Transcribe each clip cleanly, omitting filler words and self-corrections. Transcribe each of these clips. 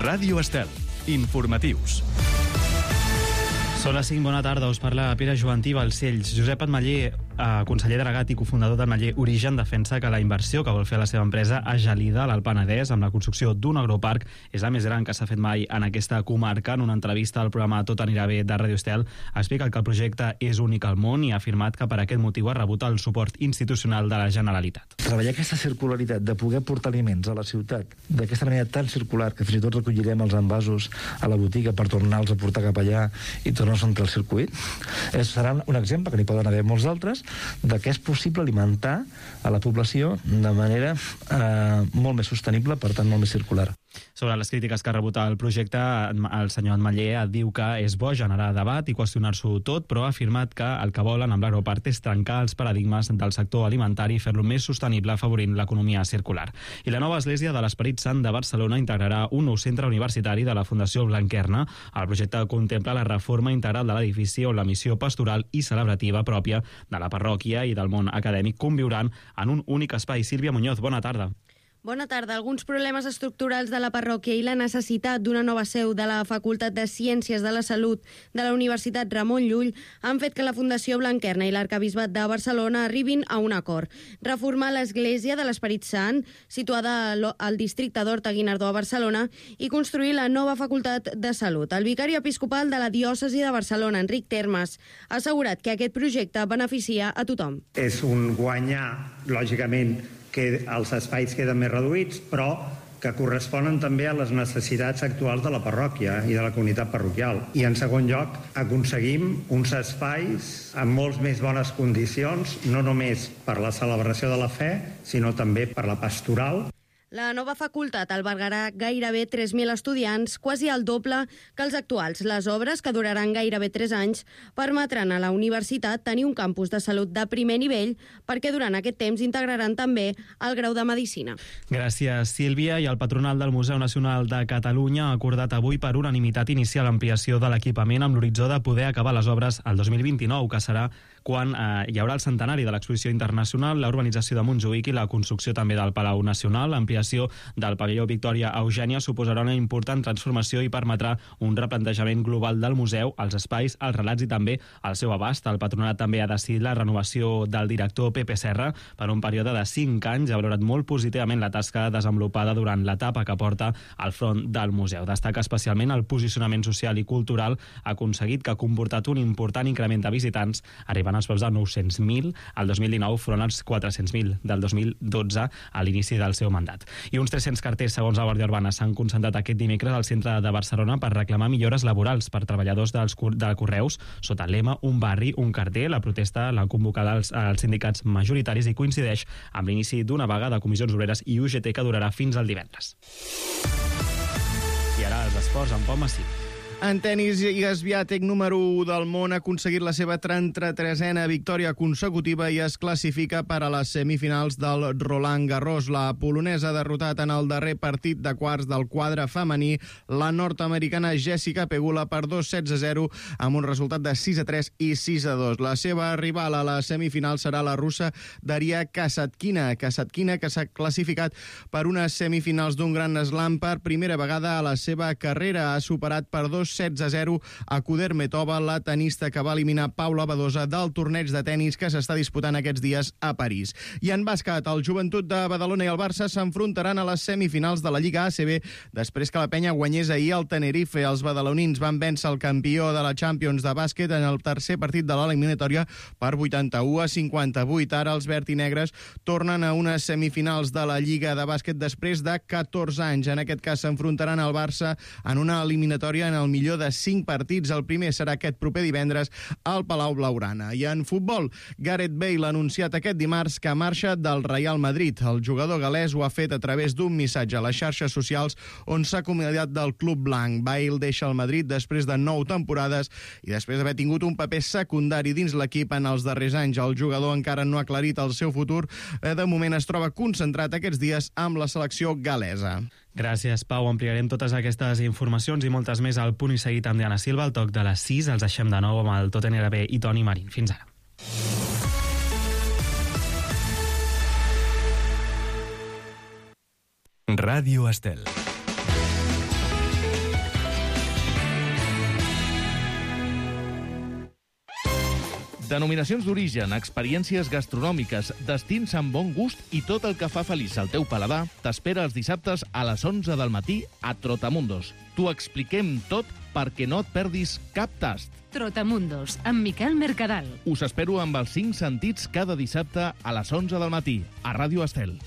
Ràdio Estel. Informatius. Són les 5, bona tarda, us parla Pere Joantí Balcells. Josep Ametller, conseller delegat i cofundador d'Ametller Origen, defensa que la inversió que vol fer la seva empresa a Gelida, a l'Alt Penedès, amb la construcció d'un agroparc, és la més gran que s'ha fet mai en aquesta comarca. En una entrevista al programa Tot anirà bé de Ràdio Estel, explica que el projecte és únic al món i ha afirmat que per aquest motiu ha rebut el suport institucional de la Generalitat. Treballar aquesta circularitat de poder portar aliments a la ciutat d'aquesta manera tan circular que fins i tot recollirem els envasos a la botiga per tornar-los a portar cap allà i tornar-los entre el circuit, serà un exemple, que n'hi poden haver molts altres, de que és possible alimentar a la població de manera molt més sostenible, per tant molt més circular. Sobre les crítiques que ha rebut el projecte, el senyor Ametller diu que és bo generar debat i qüestionar-s'ho tot, però ha afirmat que el que volen amb l'agroparc és trencar els paradigmes del sector alimentari i fer-lo més sostenible, afavorint l'economia circular. I la nova església de l'Esperit Sant de Barcelona integrarà un nou centre universitari de la Fundació Blanquerna. El projecte contempla la reforma integral de l'edifici on la missió pastoral i celebrativa pròpia de la parròquia i del món acadèmic conviuran en un únic espai. Sílvia Muñoz, bona tarda. Bona tarda. Alguns problemes estructurals de la parròquia i la necessitat d'una nova seu de la Facultat de Ciències de la Salut de la Universitat Ramon Llull han fet que la Fundació Blanquerna i l'Arquebisbat de Barcelona arribin a un acord. Reformar l'església de l'Esperit Sant, situada al districte d'Horta-Guinardó a Barcelona, i construir la nova Facultat de Salut. El vicari episcopal de la diòcesi de Barcelona, Enric Termes, ha assegurat que aquest projecte beneficia a tothom. És un guanyar, lògicament, que els espais queden més reduïts, però que corresponen també a les necessitats actuals de la parròquia i de la comunitat parroquial. I en segon lloc, aconseguim uns espais amb molts més bones condicions, no només per la celebració de la fe, sinó també per la pastoral. La nova facultat albergarà gairebé 3.000 estudiants, quasi el doble que els actuals. Les obres, que duraran gairebé 3 anys, permetran a la universitat tenir un campus de salut de primer nivell, perquè durant aquest temps integraran també el grau de Medicina. Gràcies, Sílvia. I el patronal del Museu Nacional de Catalunya ha acordat avui per unanimitat iniciar l'ampliació de l'equipament amb l'horitzó de poder acabar les obres el 2029, que serà quan hi haurà el centenari de l'exposició internacional, la urbanització de Montjuïc i la construcció també del Palau Nacional. L'ampliació del pavelló Victòria Eugènia suposarà una important transformació i permetrà un replantejament global del museu, els espais, els relats i també el seu abast. El patronat també ha decidit la renovació del director Pepe Serra per un període de 5 anys. Ha valorat molt positivament la tasca desenvolupada durant l'etapa que porta al front del museu. Destaca especialment el posicionament social i cultural aconseguit, que ha comportat un important increment de visitants, arribant als preus de 900.000 al 2019 front als 400.000 del 2012 a l'inici del seu mandat. I uns 300 carters, segons la Guàrdia Urbana, s'han concentrat aquest dimecres al centre de Barcelona per reclamar millores laborals per treballadors de Correus sota el lema Un barri, un carter. La protesta l'han convocat els sindicats majoritaris i coincideix amb l'inici d'una vaga de comissions obreres i UGT que durarà fins al divendres. I ara els esports amb Pau Massí. En tenis, Iga Swiatek, número 1 del món, ha aconseguit la seva 33a victòria consecutiva i es classifica per a les semifinals del Roland Garros. La polonesa ha derrotat en el darrer partit de quarts del quadre femení la nord-americana Jessica Pegula per 2-7-0 amb un resultat de 6-3 i 6-2. La seva rival a la semifinal serà la russa Daria Kasatkina, que s'ha classificat per unes semifinals d'un Grand Slam per primera vegada a la seva carrera. Ha superat per 2-16-0 a Kudermetova, la tenista que va eliminar Paula Badosa del torneig de tenis que s'està disputant aquests dies a París. I en bàsquet, el Joventut de Badalona i el Barça s'enfrontaran a les semifinals de la Lliga ACB després que la penya guanyés ahir al Tenerife. Els badalonins van vèncer el campió de la Champions de bàsquet en el tercer partit de l'eliminatòria per 81-58. Ara els verd i negres tornen a unes semifinals de la Lliga de bàsquet després de 14 anys. En aquest cas s'enfrontaran al Barça en una eliminatòria en el millor de 5 partits. El primer serà aquest proper divendres al Palau Blaugrana. I en futbol, Gareth Bale ha anunciat aquest dimarts que marxa del Real Madrid. El jugador galès ho ha fet a través d'un missatge a les xarxes socials on s'ha acomiadat del club blanc. Bale deixa el Madrid després de 9 temporades i després d'haver tingut un paper secundari dins l'equip en els darrers anys. El jugador encara no ha aclarit el seu futur. De moment es troba concentrat aquests dies amb la selecció galesa. Gràcies, Pau. Ampliarem totes aquestes informacions i moltes més al Punt i Seguit amb Diana Silva. Al toc de les 6 els deixem de nou amb el Tot anirà bé i Toni Marín. Fins ara. Ràdio Estel. Denominacions d'origen, experiències gastronòmiques, destins amb bon gust i tot el que fa feliç al teu paladar t'espera els dissabtes a les 11 del matí a Trotamundos. T'ho expliquem tot perquè no et perdis cap tast. Trotamundos, amb Miquel Mercadal. Us espero amb els 5 sentits cada dissabte a les 11 del matí, a Ràdio Estel.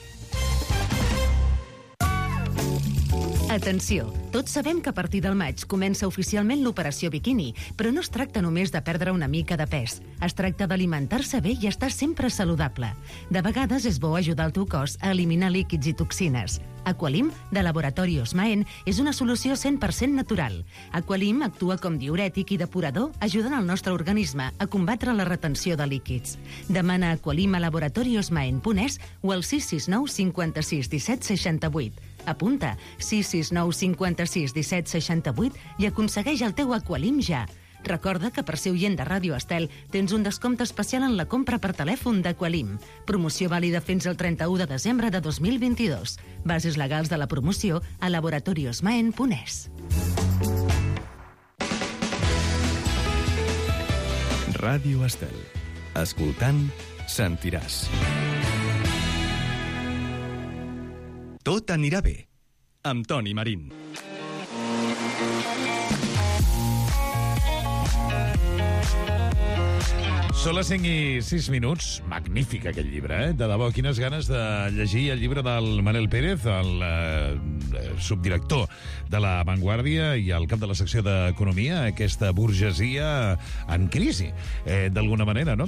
Atenció, tots sabem que a partir del maig comença oficialment l'operació biquini, però no es tracta només de perdre una mica de pes. Es tracta d'alimentar-se bé i estar sempre saludable. De vegades és bo ajudar el teu cos a eliminar líquids i toxines. Aqualim, de Laboratori Osmaen, és una solució 100% natural. Aqualim actua com diürètic i depurador, ajudant el nostre organisme a combatre la retenció de líquids. Demana Aqualim a laboratoriosmaen.es o al 669 56 17 68. Apunta 669 56 17 68 i aconsegueix el teu Aqualim ja. Recorda que per ser oient de Ràdio Estel tens un descompte especial en la compra per telèfon d'Aqualim. Promoció vàlida fins al 31 de desembre de 2022. Bases legals de la promoció a laboratoriosmaen.es. Ràdio Estel. Escoltant, sentiràs. Tot anirà bé, amb Toni Marín. Són les 5 i 6 minuts. Magnífic aquest llibre, eh? De debò, quines ganes de llegir el llibre del Manel Pérez, el subdirector de La Vanguardia i el cap de la secció d'Economia, aquesta burgesia en crisi, d'alguna manera, no?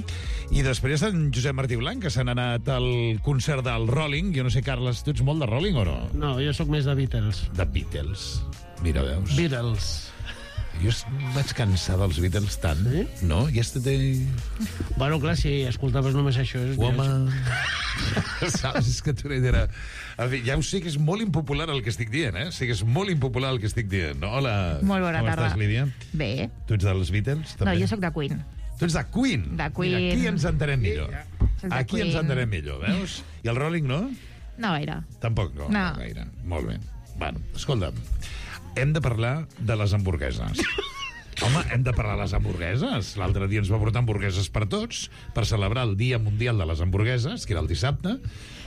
I després en Josep Martí Blanc, que s'han anat al concert del Rolling. Jo no sé, Carles, tu ets molt de Rolling o no? No, jo sóc més de Beatles. De Beatles. Mira, veus? Beatles. Jo vaig cansar dels Beatles tant, sí? No? Yesterday... Bueno, clar, si escoltaves només això... Woman... Saps? És que tu era... En fi, ja ho sé que és molt impopular el que estic dient, eh? Sí que és molt impopular el que estic dient. No? Hola. Molt bona tarda. Com estàs, Lídia? Bé. Tu ets dels Beatles, també? No, jo sóc de Queen. Tu ets de Queen? De Queen. Mira, aquí ens entenem millor. Aquí Queen. ens entenem millor, veus? I el Rolling, no? No gaire. Tampoc no. No. Gaire. Molt bé. Bueno, escolta'm, hem de parlar de les hamburgueses. Home, hem de parlar de les hamburgueses. L'altre dia ens va portar hamburgueses per tots per celebrar el Dia Mundial de les Hamburgueses, que era el dissabte,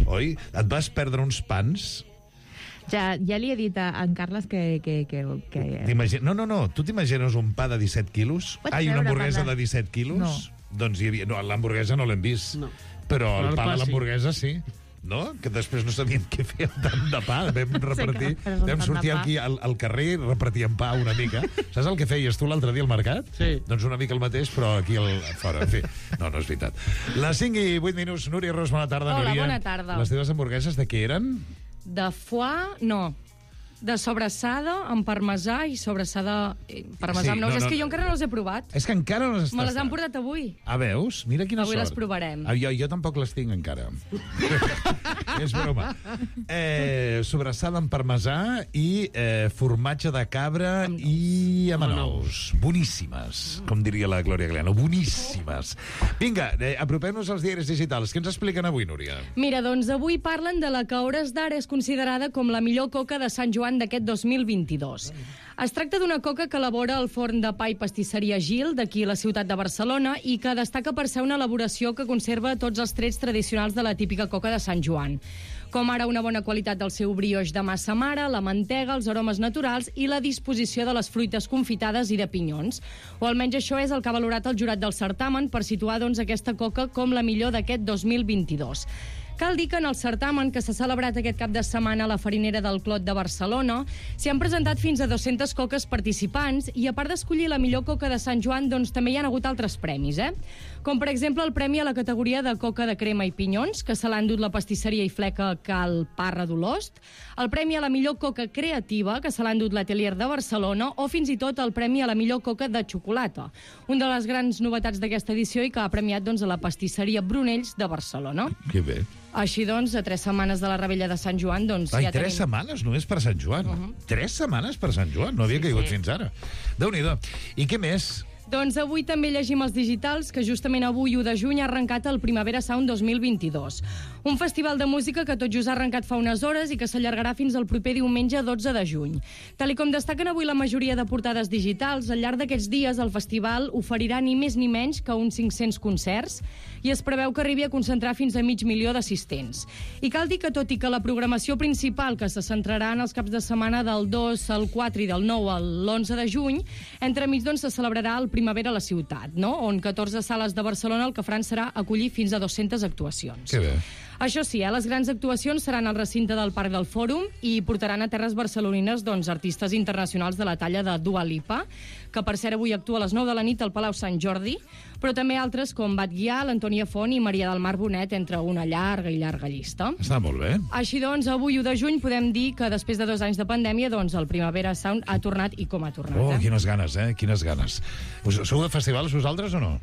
oi? Et vas perdre uns pans... Ja li he dit a en Carles que... No, tu t'imagines un pa de 17 quilos? Una hamburguesa de 17 quilos? No. Doncs hi havia... No, l'hamburguesa no l'hem vist. No. Però el pa de l'hamburguesa sí. No? Que després no sabíem què fer amb tant de pa. Vam repartir... Vam sortir aquí al carrer, repartíem pa una mica. Saps el que feies tu l'altre dia al mercat? Sí. Doncs una mica el mateix, però aquí fora. En fi, no és veritat. Les 5 i 8 minuts. Núria Ros, bona tarda, Hola, Núria. bona tarda. Les teves hamburgueses de què eren? De foie, no. De sobrassada amb parmesà i sobrassada... Parmesà amb nous. És que jo encara no les he provat. És que encara no les has Me les han portat avui. Ah, veus? Mira quina Avui sort. les provarem. Jo tampoc les tinc encara. És broma. Sobrassada amb parmesà i formatge de cabra i amb anous. Boníssimes, com diria la Glòria Galeano. Boníssimes. Vinga, apropem-nos als diaris digitals. Què ens expliquen avui, Núria? Mira, doncs avui parlen de la que a hores d'ara és considerada com la millor coca de Sant Joan d'aquest 2022. Es tracta d'una coca que elabora el forn de pa i pastisseria Gil, d'aquí a la ciutat de Barcelona, i que destaca per ser una elaboració que conserva tots els trets tradicionals de la típica coca de Sant Joan, com ara una bona qualitat del seu brioix de massa mare, la mantega, els aromes naturals i la disposició de les fruites confitades i de pinyons. O almenys això és el que ha valorat el jurat del certamen per situar doncs, aquesta coca com la millor d'aquest 2022. Cal dir que en el certamen que s'ha celebrat aquest cap de setmana a la Farinera del Clot de Barcelona s'hi han presentat fins a 200 coques participants i a part d'escollir la millor coca de Sant Joan, doncs també hi ha hagut altres premis, com per exemple el premi a la categoria de coca de crema i pinyons, que se l'ha endut la pastisseria i fleca Cal Parra d'Olost, el premi a la millor coca creativa, que se l'ha endut l'Atelier de Barcelona, o fins i tot el premi a la millor coca de xocolata, una de les grans novetats d'aquesta edició i que ha premiat doncs, a la pastisseria Brunells de Barcelona. Que bé. Així doncs, a 3 setmanes de la Rebella de Sant Joan, doncs Ai, ja tenim... 3 setmanes només per Sant Joan. 3 setmanes per Sant Joan, no havia caigut fins ara. Déu-n'hi-do. I què més? Doncs avui també llegim els digitals que justament avui, 1 de juny, ha arrencat el Primavera Sound 2022. Un festival de música que tot just ha arrencat fa unes hores i que s'allargarà fins al proper diumenge 12 de juny. Tal com destaquen avui la majoria de portades digitals, al llarg d'aquests dies el festival oferirà ni més ni menys que uns 500 concerts i es preveu que arribi a concentrar fins a 500.000 d'assistents. I cal dir que, tot i que la programació principal, que se centrarà en els caps de setmana del 2 al 4 i del 9 al l'11 de juny, entremig se celebrarà el Primavera a la ciutat, no? On 14 sales de Barcelona el que faran serà acollir fins a 200 actuacions. Que bé. Això sí, les grans actuacions seran al recinte del Parc del Fòrum i portaran a terres barcelonines artistes internacionals de la talla de Dua Lipa, que per cert avui actua a les 9 de la nit al Palau Sant Jordi, però també altres com Bat Guià, l'Antònia Font i Maria del Mar Bonet, entre una llarga llista. Està molt bé. Així doncs, avui, 1 de juny, podem dir que després de 2 anys de pandèmia, el Primavera Sound ha tornat i com ha tornat. Oh, quines ganes, quines ganes. Sou de festivals vosaltres o no?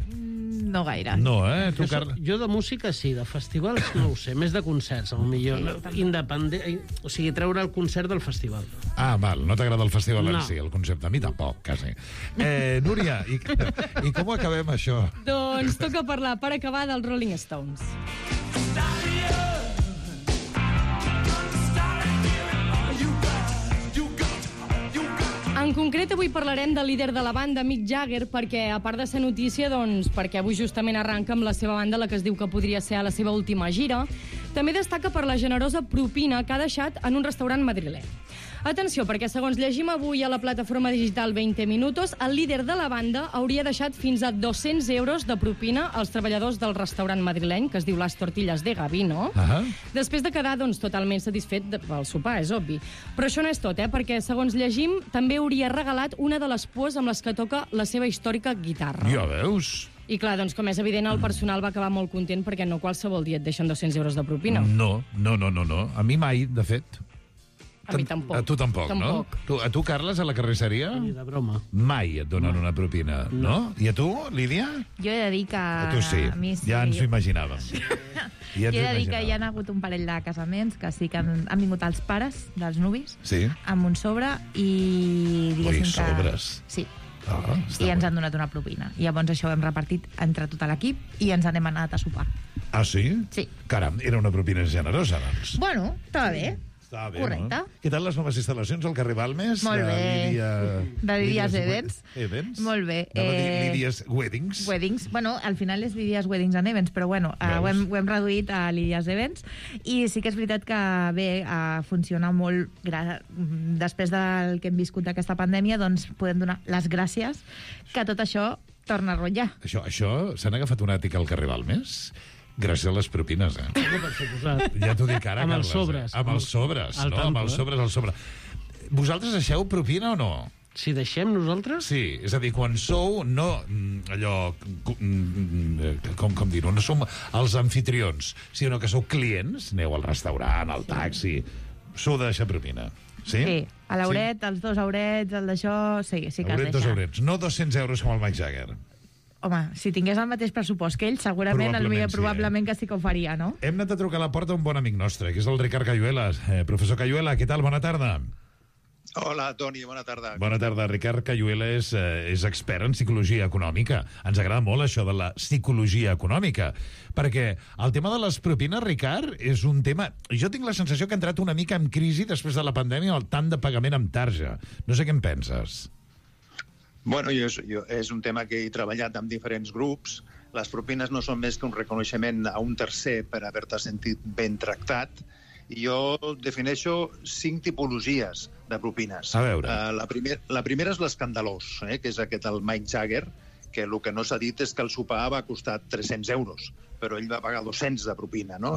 No gaire. No, Tu, Carles? Jo de música sí, de festivals no ho sé, més de concerts, potser independent, o sigui, treure el concert del festival. Ah, val, no t'agrada el festival en No. si, el concepte. A mi tampoc, quasi. Núria, i com ho acabem, això? Doncs toca parlar, per acabar, dels Rolling Stones. En concret, avui parlarem del líder de la banda, Mick Jagger, perquè, a part de ser notícia, perquè avui justament arranca amb la seva banda, la que es diu que podria ser a la seva última gira, també destaca per la generosa propina que ha deixat en un restaurant madrileny. Atenció, perquè segons llegim avui a la plataforma digital 20 Minutos, el líder de la banda hauria deixat fins a 200 euros de propina als treballadors del restaurant madrileny, que es diu Las Tortillas de Gavino, després de quedar totalment satisfet pel sopar, és obvi. Però això no és tot, perquè segons llegim, també hauria regalat una de les pues amb les que toca la seva històrica guitarra. Ja veus? I clar, com és evident, el personal va acabar molt content perquè no qualsevol dia et deixen 200 euros de propina. No. A mi mai, de fet. A mi tampoc. A tu tampoc, no? A tu, Carles, a la carnisseria? Ni de broma. Mai et donen una propina, no? I a tu, Lídia? Jo he de dir que... A tu sí, a mi sí. ja ens ho imaginàvem. Jo he de dir que hi ha hagut un parell de casaments que sí que han vingut els pares dels nuvis amb un sobre i diguéssim que... sobres. Sí. I ens han donat una propina. I llavors això ho hem repartit entre tot l'equip i ens n'hem anat a sopar. Ah, sí? Sí. Caram, era una propina generosa, doncs. Bueno, estava bé. Està bé, correcte. No? Què tal les noves instal·lacions al carrer Balmes? Molt bé. De Lídia's Events. Events? Molt bé. Anava a dir Lídia's Weddings. Weddings. Bueno, al final és Lídia's Weddings and Events, però bueno, ho hem reduït a Lídia's Events. I sí que és veritat que bé, funciona molt. Després del que hem viscut d'aquesta pandèmia, doncs podem donar les gràcies que tot això torna a rotllar. Això s'han agafat un àtic al carrer Balmes? Gràcies a les propines, Ja t'ho dic ara, amb Carles. els sobres. Amb els sobres, no? Amb els sobres, al sobre. Vosaltres deixeu propina o no? Si deixem nosaltres? Sí, és a dir, quan sou, no allò, com dir-ho, no som els anfitrions, sinó que sou clients, aneu al restaurant, al taxi, sou de deixar propina. Sí? Sí, a l'hauret, els 2 haurets, el d'això, sí que has deixat. 2 haurets, no 200 euros com el Mick Jagger. Home, si tingués el mateix pressupost que ell, segurament, probablement que sí que ho faria, no? Hem anat a trucar a la porta un bon amic nostre, que és el Ricard Cayuela. Professor Cayuela, què tal? Bona tarda. Hola, Toni, bona tarda. Bona tarda. Ricard Cayuela és expert en psicologia econòmica. Ens agrada molt això de la psicologia econòmica, perquè el tema de les propines, Ricard, és un tema... Jo tinc la sensació que ha entrat una mica en crisi després de la pandèmia el tant de pagament amb tarja. No sé què en penses. Bueno, és un tema que he treballat amb diferents grups. Les propines no són més que un reconeixement a un tercer per haver-te sentit ben tractat. I jo defineixo 5 tipologies de propines. A veure. La primera és l'escandalós, que és aquest el Mick Jagger, que el que no s'ha dit és que el sopar va costar 300 euros, però ell va pagar 200 de propina, no?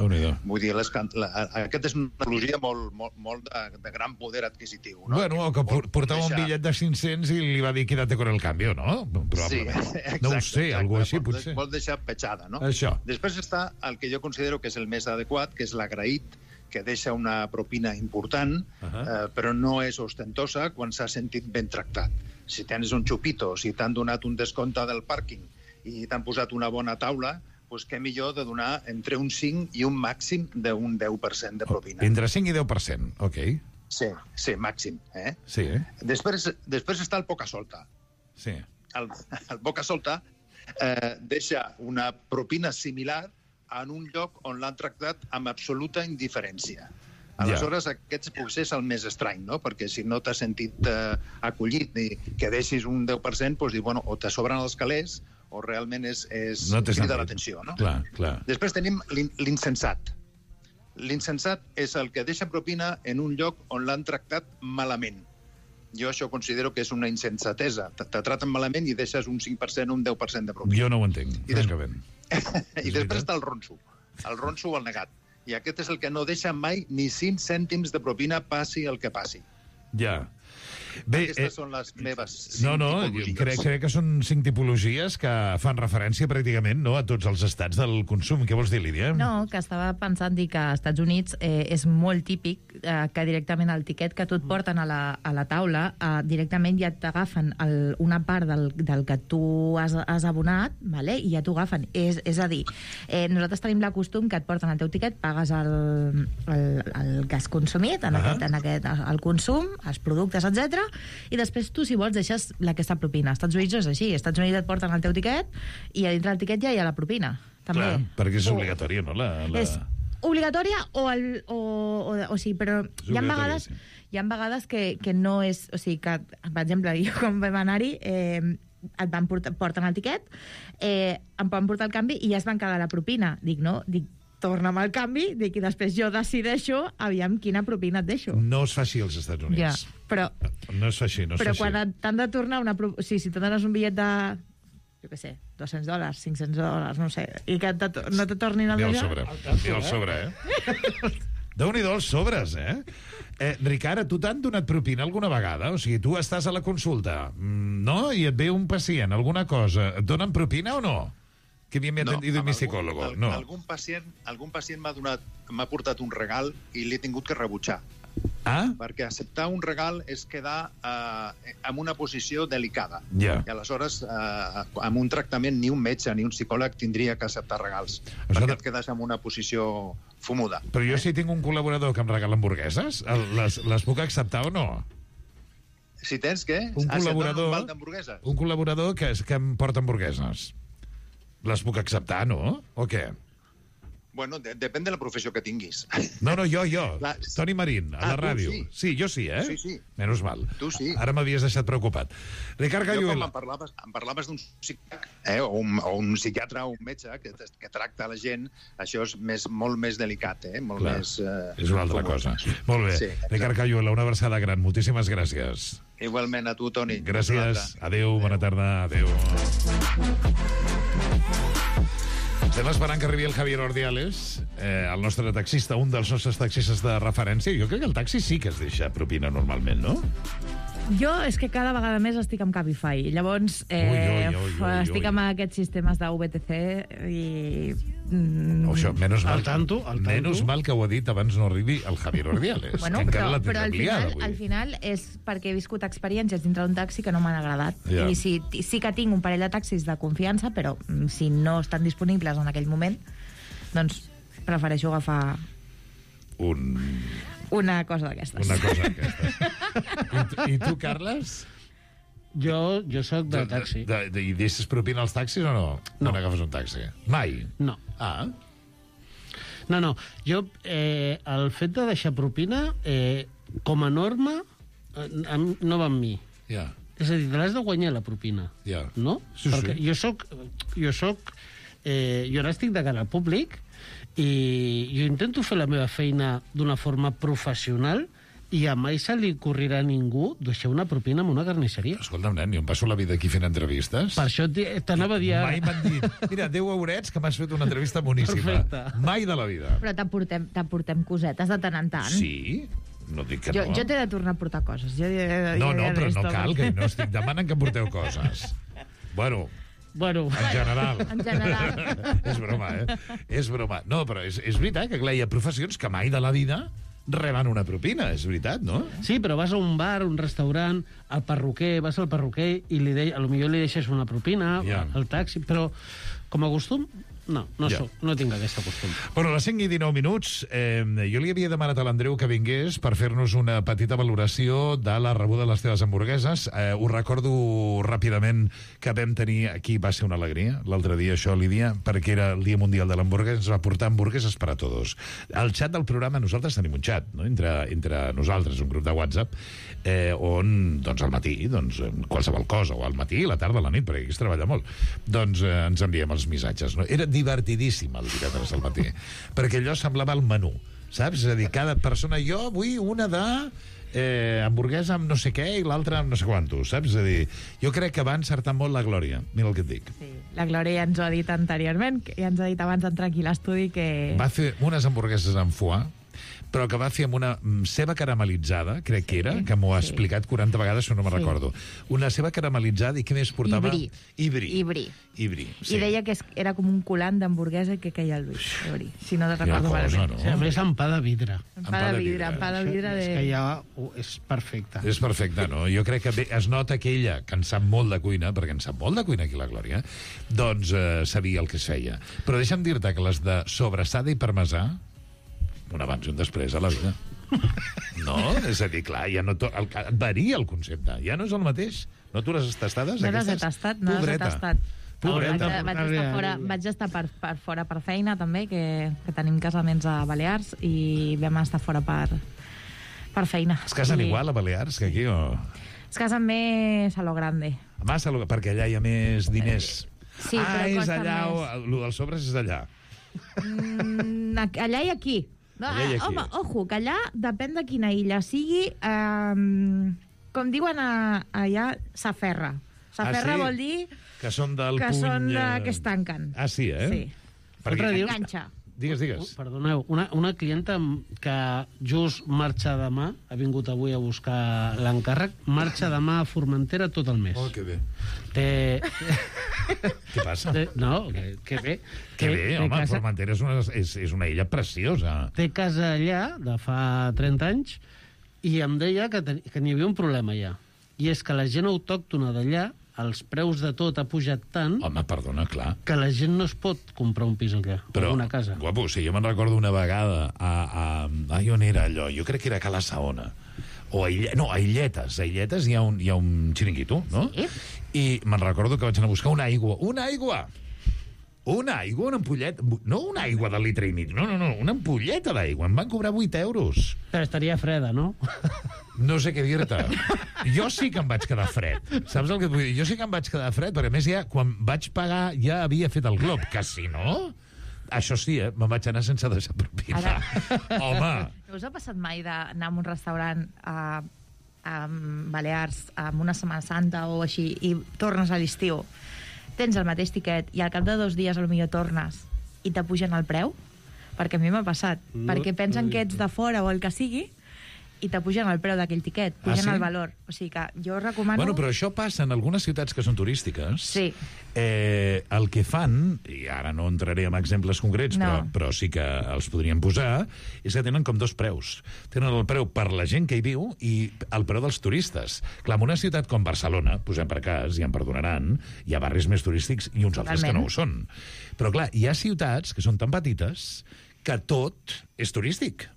Vull dir, aquesta és una tipologia molt de gran poder adquisitiu, no? Bueno, que portava un bitllet de 500 i li va dir quédate con el cambio, no? Sí, exacte. No ho sé, algú així, potser. Vol deixar petjada, no? Això. Després està el que jo considero que és el més adequat, que és l'agraït, que deixa una propina important, però no és ostentosa quan s'ha sentit ben tractat. Si tens un xupito, si t'han donat un descompte del pàrquing i t'han posat una bona taula, doncs què millor de donar entre un 5 i un màxim d'un 10% de propina. Entre 5 i 10%, ok. Sí, màxim. Sí. Després està el poca solta. Sí. el Boca Solta deixa una propina similar en un lloc on l'han tractat amb absoluta indiferència. Aleshores, aquest potser és el més estrany, no? Perquè si no t'has sentit acollit i que deixis un 10%, doncs, bueno, o te sobren els calés o realment crida l'atenció, no? Clar. Després tenim l'insensat. L'insensat és el que deixa propina en un lloc on l'han tractat malament. Jo això considero que és una insensatesa. Te traten malament i deixes un 5% o un 10% de propina. Jo no ho entenc, francament. I després està el ronso o el negat. I aquest és el que no deixa mai ni 5 cèntims de propina, passi el que passi. Ja. Bé, aquestes són les meves 5 tipologies. Crec que són 5 tipologies que fan referència pràcticament a tots els estats del consum. Què vols dir, Lídia? No, que estava pensant dir que als Estats Units és molt típic que directament el tiquet que tu et porten a la taula directament ja t'agafen una part del que tu has abonat, vale? I ja t'ho agafen. És a dir, nosaltres tenim la costum que et porten el teu tiquet, pagues el que has consumit, el consum, els productes, etc. I després tu, si vols, deixes aquesta propina. Als Estats Units és així. Als Estats Units et porten el teu tiquet i a dintre del tiquet ja hi ha la propina. També. Clar, perquè és obligatòria, no? És obligatòria o sí, però hi ha vegades que no és... O sigui, que, per exemple, jo quan vam anar-hi et van porten el tiquet, em van portar el canvi i ja es van quedar la propina. Dic, torna'm el canvi, i després jo decideixo aviam quina propina et deixo. No es fa així als Estats Units. Ja, però... No es fa així, Però quan t'han de tornar una... si tu dones un bitllet de... jo què sé, $200, $500, no sé, i que no te tornin el deixar... Ni el sobre, Déu-n'hi-do els sobres, Ricard, a tu t'han donat propina alguna vegada? O sigui, tu estàs a la consulta, no? I et ve un pacient, alguna cosa. Et donen propina o no? Que bien me ha atendido mi psicólogo. No. Algun pacient m'ha portat un regal i l'he tingut que rebutjar. Perquè acceptar un regal és quedar en una posició delicada. I aleshores, amb un tractament, ni un metge ni un psicòleg tindria que acceptar regals, perquè et quedes en una posició fumuda. Però jo si tinc un col·laborador que em regala hamburgueses, les puc acceptar o no? Si tens què? Un col·laborador que em porta hamburgueses. Les puc acceptar, no? O què? Bueno, depèn de la professió que tinguis. No, jo. Toni Marín, a la ràdio. Sí, jo sí, Sí. Menys mal. Tu sí. Ara m'havies deixat preocupat. Ricard Cayuela. Jo quan em parlaves d'un psicòleg, o un psiquiatre o un metge que tracta la gent, això és molt més delicat, molt més... És una altra cosa. Molt bé. Ricard Cayuela, una abraçada gran. Moltíssimes gràcies. Igualment a tu, Toni. Gràcies. Adéu, bona tarda. Adéu. Estem esperant que arribi el Javier Ordiales, el nostre taxista, un dels nostres taxistes de referència. Jo crec que el taxi sí que es deixa propina normalment, no? Jo és que cada vegada més estic amb Cabify. Llavors, estic amb aquests sistemes de VTC i... Això, menys mal, al tanto. Menys mal que ho ha dit abans no arribi el Javier Ordiales. Bueno, però al final és perquè he viscut experiències dintre d'un taxi que no m'han agradat. I sí que tinc un parell de taxis de confiança, però si no estan disponibles en aquell moment, doncs prefereixo agafar... Una cosa d'aquestes. I tu, Carles? Jo soc de taxi. I deixes propina als taxis o no? No n'agafes un taxi? Mai? No. No. Jo, el fet de deixar propina, com a norma, no va amb mi. Ja. És a dir, te l'has de guanyar, la propina. Ja. No? Sí. Perquè jo ara estic de cara al públic i jo intento fer la meva feina d'una forma professional i a mai se li corrirà a ningú deixar una propina en una carnisseria. Escolta'm, nen, jo em passo la vida aquí fent entrevistes. Per això t'anava a dir... Mai m'han dit, mira, 10 eurets que m'has fet una entrevista boníssima. Perfecte. Mai de la vida. Però t'aportem cosetes de tant en tant. Sí? No dic que no. Jo t'he de tornar a portar coses. No, però no cal, que no estic demanant que porteu coses. Bueno, en general. És broma, És broma. No, però és veritat que, clar, hi ha professions que mai de la vida reben una propina, és veritat, no? Sí, però vas a un bar, un restaurant, al perruquer, vas al perruquer i potser li deixes una propina, al taxi, però com a costum No tinc aquesta costum. Bueno, a les 5:19, jo li havia demanat a l'Andreu que vingués per fer-nos una petita valoració de la rebuda de les teves hamburgueses. Ho recordo ràpidament que vam tenir, aquí va ser una alegria, l'altre dia això, Lídia, perquè era el Dia Mundial de l'Hamburguesa, ens va portar hamburgueses per a tots. Al xat del programa, nosaltres tenim un xat, no? entre nosaltres, un grup de WhatsApp, on, doncs, al matí, doncs, qualsevol cosa, o al matí, a la tarda, a la nit, perquè aquí es treballa molt, doncs ens enviem els missatges, no? Era divertidíssim el divendres al matí, perquè allò semblava el menú, saps? És a dir, cada persona, jo vull una de hamburguesa amb no sé què i l'altra amb no sé quantos, saps? És a dir, jo crec que va encertar molt la Glòria, mira el que et dic. Sí, la Glòria ja ens ho ha dit anteriorment, ja ens ha dit abans d'entrar aquí a l'estudi que... Va fer unes hamburgueses amb foie, però que va fer amb una ceba caramelitzada, crec que era, que m'ho ha explicat 40 vegades, però no me'n recordo. Una ceba caramelitzada, i què més portava? Ibri. I deia que era com un colant d'hamburguesa que queia al Lluís, si no te recordo malament. A més, amb pa de vidre. Amb pa de vidre. És que ja és perfecte. És perfecte, no? Jo crec que es nota que ella, que en sap molt de cuina, perquè en sap molt de cuina aquí la Glòria, doncs sabia el que es feia. Però deixa'm dir-te que les de sobrassada i parmesà, un abans i un després a la vida. No? És a dir, clar, ja no varia el concepte. Ja no és el mateix. No tu les has tastades? No les he tastat, no les he tastat. Pobreta. Vaig estar per fora per feina, també, que tenim casaments a Balears, i vam estar fora per feina. Es casen igual a Balears que aquí, o...? Es casen més a lo grande. Perquè allà hi ha més diners. Sí, però és costa allà, més. El dels sobres és allà. Allà i aquí. No, home, ojo, que allà depèn de quina illa sigui, com diuen allà, s'aferra. S'aferra vol dir que són del que puny... que es tanquen. Ah, sí, eh? Sí. Enganxa. Digues. Perdoneu, una clienta que just marxa demà, ha vingut avui a buscar l'encàrrec, marxa demà a Formentera tot el mes. Oh, que bé. Què passa? No, que bé. Que bé, home, Formentera és una illa preciosa. Té casa allà de fa 30 anys i em deia que n'hi havia un problema allà. I és que la gent autòctona d'allà, els preus de tot ha pujat tant... Home, perdona, clar. Que la gent no es pot comprar un pis allà, o una casa. Guapo, sí, jo me'n recordo una vegada on era allò? Jo crec que era a Cala Saona. A Illetes. A Illetes hi ha un xiringuito, no? Sí. I me'n recordo que vaig anar a buscar una aigua. Una aigua, una ampolleta. No una aigua de litre i mig, no, una ampolleta d'aigua. Em van cobrar 8 euros. Però estaria freda, no? No sé què dir-te. Jo sí que em vaig quedar fred. Saps el que et vull dir? Jo sí que em vaig quedar fred, perquè a més ja, quan vaig pagar, ja havia fet el glob, que si no... Això sí, me'n vaig anar sense deixar propina. Home! No us ha passat mai d'anar a un restaurant a Balears amb una Setmana Santa o així, i tornes a l'estiu, tens el mateix tiquet, i al cap de 2 dies potser tornes i t'apugen el preu? Perquè a mi m'ha passat. Perquè pensen que ets de fora o el que sigui, i t'apugen el preu d'aquell tiquet, pugen el valor. O sigui que jo recomano... Bueno, però això passa en algunes ciutats que són turístiques. Sí. El que fan, i ara no entraré en exemples concrets, però sí que els podríem posar, és que tenen com 2 preus. Tenen el preu per la gent que hi viu i el preu dels turistes. Clar, en una ciutat com Barcelona, posem per cas, i em perdonaran, hi ha barris més turístics i uns altres que no ho són. Però clar, hi ha ciutats que són tan petites que tot és turístic.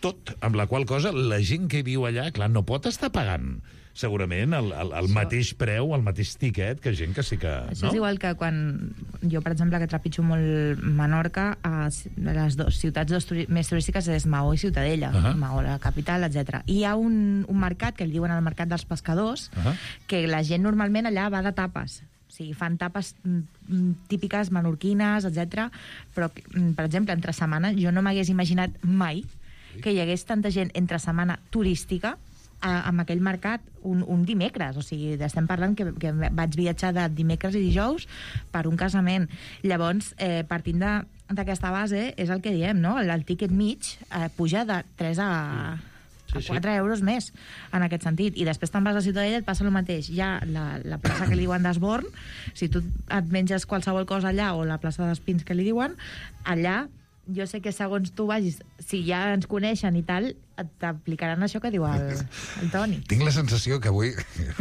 Tot, amb la qual cosa la gent que viu allà, clar, no pot estar pagant segurament el mateix preu, el mateix tiquet que gent que sí que... Això és igual que quan jo, per exemple, que trepitjo molt Menorca, les ciutats més turístiques és Maó i Ciutadella, Maó, la capital, etc. I hi ha un mercat, que el diuen el mercat dels pescadors, que la gent normalment allà va de tapes. O sigui, fan tapes típiques menorquines, etc. Però, per exemple, entre setmana, jo no m'hagués imaginat mai que hi hagués tanta gent entre setmana turística amb aquell mercat un dimecres. O sigui, estem parlant que vaig viatjar de dimecres i dijous per un casament. Llavors, partint d'aquesta base, és el que diem, no? El tiquet mig puja de 3 a 4 euros més, en aquest sentit. I després te'n vas a Ciutadella, et passa el mateix. Hi ha la plaça que li diuen d'Esborn, si tu et menges qualsevol cosa allà, o la plaça d'Espins que li diuen, allà jo sé que segons tu vagis, si ja ens coneixen i tal, t'aplicaran això que diu el Toni. Tinc la sensació que avui,